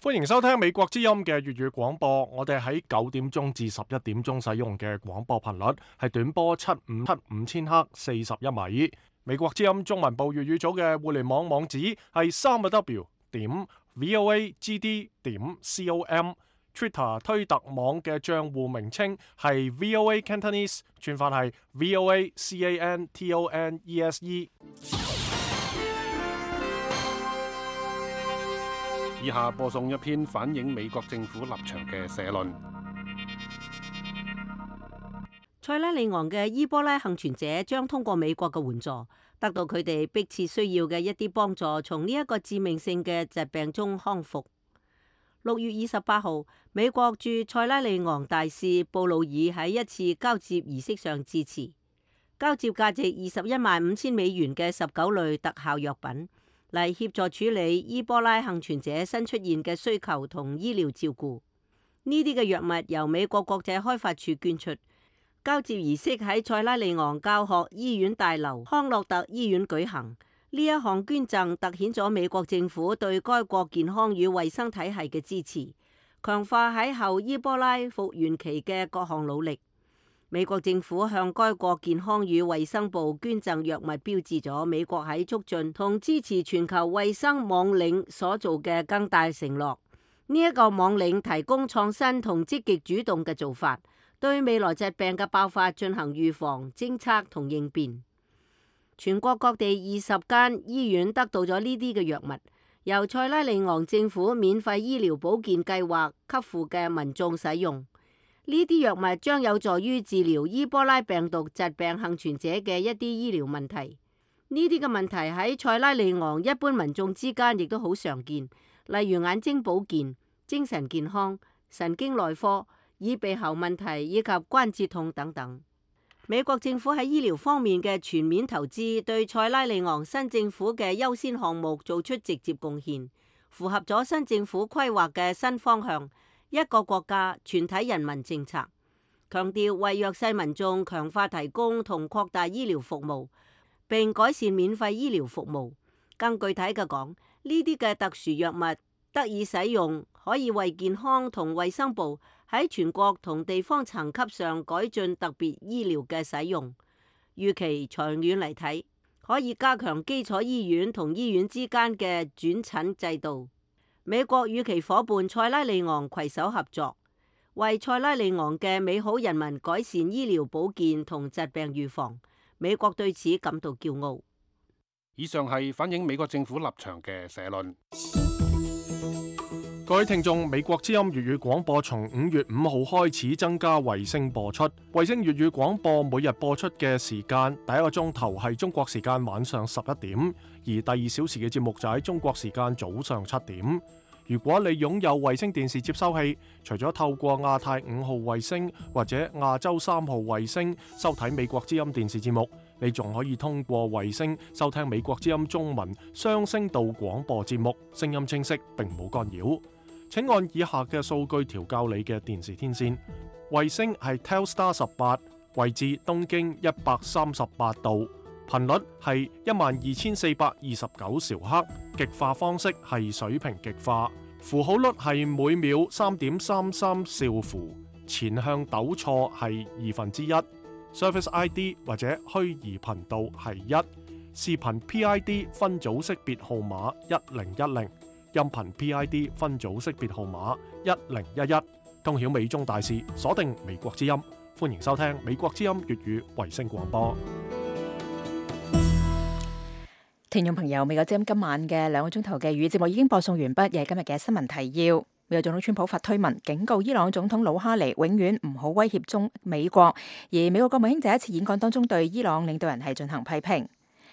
歡迎收聽美國之音嘅粵語廣播，我哋喺9點鐘至11點鐘使用嘅廣播頻率係短波7575千赫41米。美國之音中文部粵語組嘅互聯網網址係3W.voagd.com， Twitter 推特網嘅帳戶名稱係 VOA Cantonese， 串法係 VOA CANTONESE。以下播送一篇反映美國政府立場嘅社論。塞拉利昂嘅伊波拉幸存者將通過美國嘅援助，得到佢哋迫切需要嘅一啲幫助，從呢一個致命性嘅疾病中康復。6月28號，美國駐塞拉利昂大使布魯爾喺一次交接儀式上致辭，交接價值$215,000嘅19類特效藥品，嚟協助處理伊波拉幸存者新出現嘅需求同醫療照顧。呢啲嘅藥物由美國國際開發處捐出。交接儀式喺塞拉利昂教學醫院大樓康樂特醫院舉行。呢一項捐贈凸顯咗美國政府對該國健康與衛生體系嘅支持，強化喺後伊波拉復原期嘅各項努力。美國政府向該國健康與衛生部捐贈藥物，標誌咗美國喺促進同支持全球衛生網領所做嘅更大承諾。呢一個網領提供創新同積極主動嘅做法，對未來疾病嘅爆發進行預防、偵測同應變。全國各地20間醫院得到咗呢啲嘅藥物，由塞拉利昂政府免費醫療保健計劃給付嘅民眾使用。呢啲藥物將有助於治療伊波拉病毒疾病幸存者嘅一啲醫療問題。呢啲嘅問題喺塞拉利昂一般民眾之間亦都好常見，例如眼睛保健、精神健康、神經內科、耳鼻喉問題以及關節痛等等。美國政府喺醫療方面嘅全面投資，對塞拉利昂新政府嘅優先項目做出直接貢獻，符合咗新政府規劃嘅新方向，一個國家全體人民政策，強調為弱勢民眾強化提供同擴大醫療服務，並改善免費醫療服務。更具體嘅講，呢啲嘅特殊藥物得以使用，可以為健康同衛生部喺全國同地方層級上改進特別醫療嘅使用。預期長遠嚟睇，可以加強基礎醫院同醫院之間嘅轉診制度。美國與其夥伴塞拉利昂攜手合作，為塞拉利昂嘅美好人民改善醫療保健同疾病預防。美國對此感到驕傲。以上係反映美國政府立場嘅社論。各位聽眾，美國之音粵語廣播從5月5號開始增加衛星播出。衛星粵語廣播每日播出嘅時間，第一個鐘頭係中國時間晚上11點，而第2小時嘅節目就喺中國時間早上7點。如果你擁有衛星電視接收器，除咗透過亞太5號衛星或者亞洲3號衛星收睇美國之音電視節目，你仲可以通過衛星收聽美國之音中文雙聲道廣播節目，聲音清晰並冇干擾。請按以下嘅數據調校你嘅電視天線。衛星係 Telstar 18，位置東經138度，頻率係12429兆赫，極化方式係水平極化，符號率係每秒3.33兆符，前向抖錯係1/2，Service ID 或者虛擬頻道係1，視頻 PID 分組識別號碼1010。音頻 PID 分組識別號碼1011，通曉美中大事，鎖定美國之音，歡迎收聽美國之音粵語衛星廣播。聽眾朋友，美國之音今晚嘅2個鐘頭嘅粵語節目已經播送完畢，亦係今日嘅新聞提要。美國總統川普發推文警告伊朗總統魯哈尼永遠唔好威脅美國，而美國國務卿在一次演講當中對伊朗領導人係進行批評。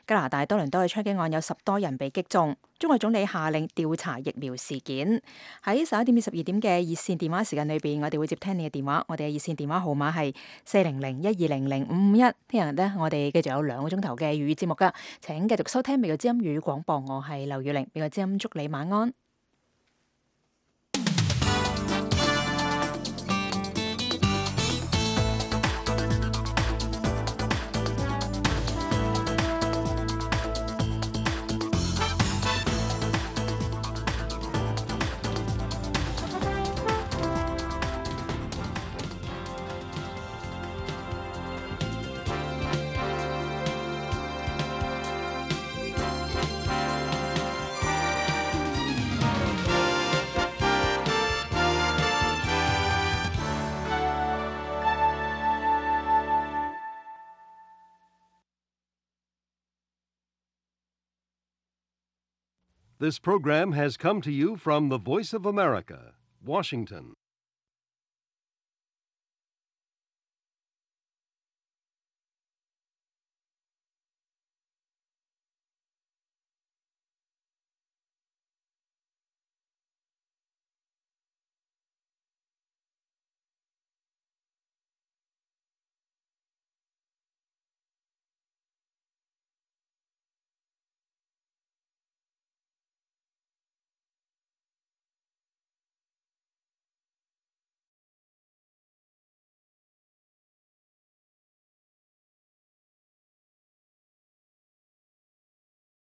加拿大多倫多嘅槍擊案有10多人被擊中，中國總理下令調查疫苗事件。喺11點至12點嘅熱線電話時間裏邊，我哋會接聽你嘅電話。我哋嘅熱線電話號碼係400-1200-551。聽日呢，我哋繼續有2個鐘頭嘅粵語節目噶，請繼續收聽美國之音粵語廣播。我係劉月玲，美國之音祝你晚安。This program has come to you from the Voice of America, Washington.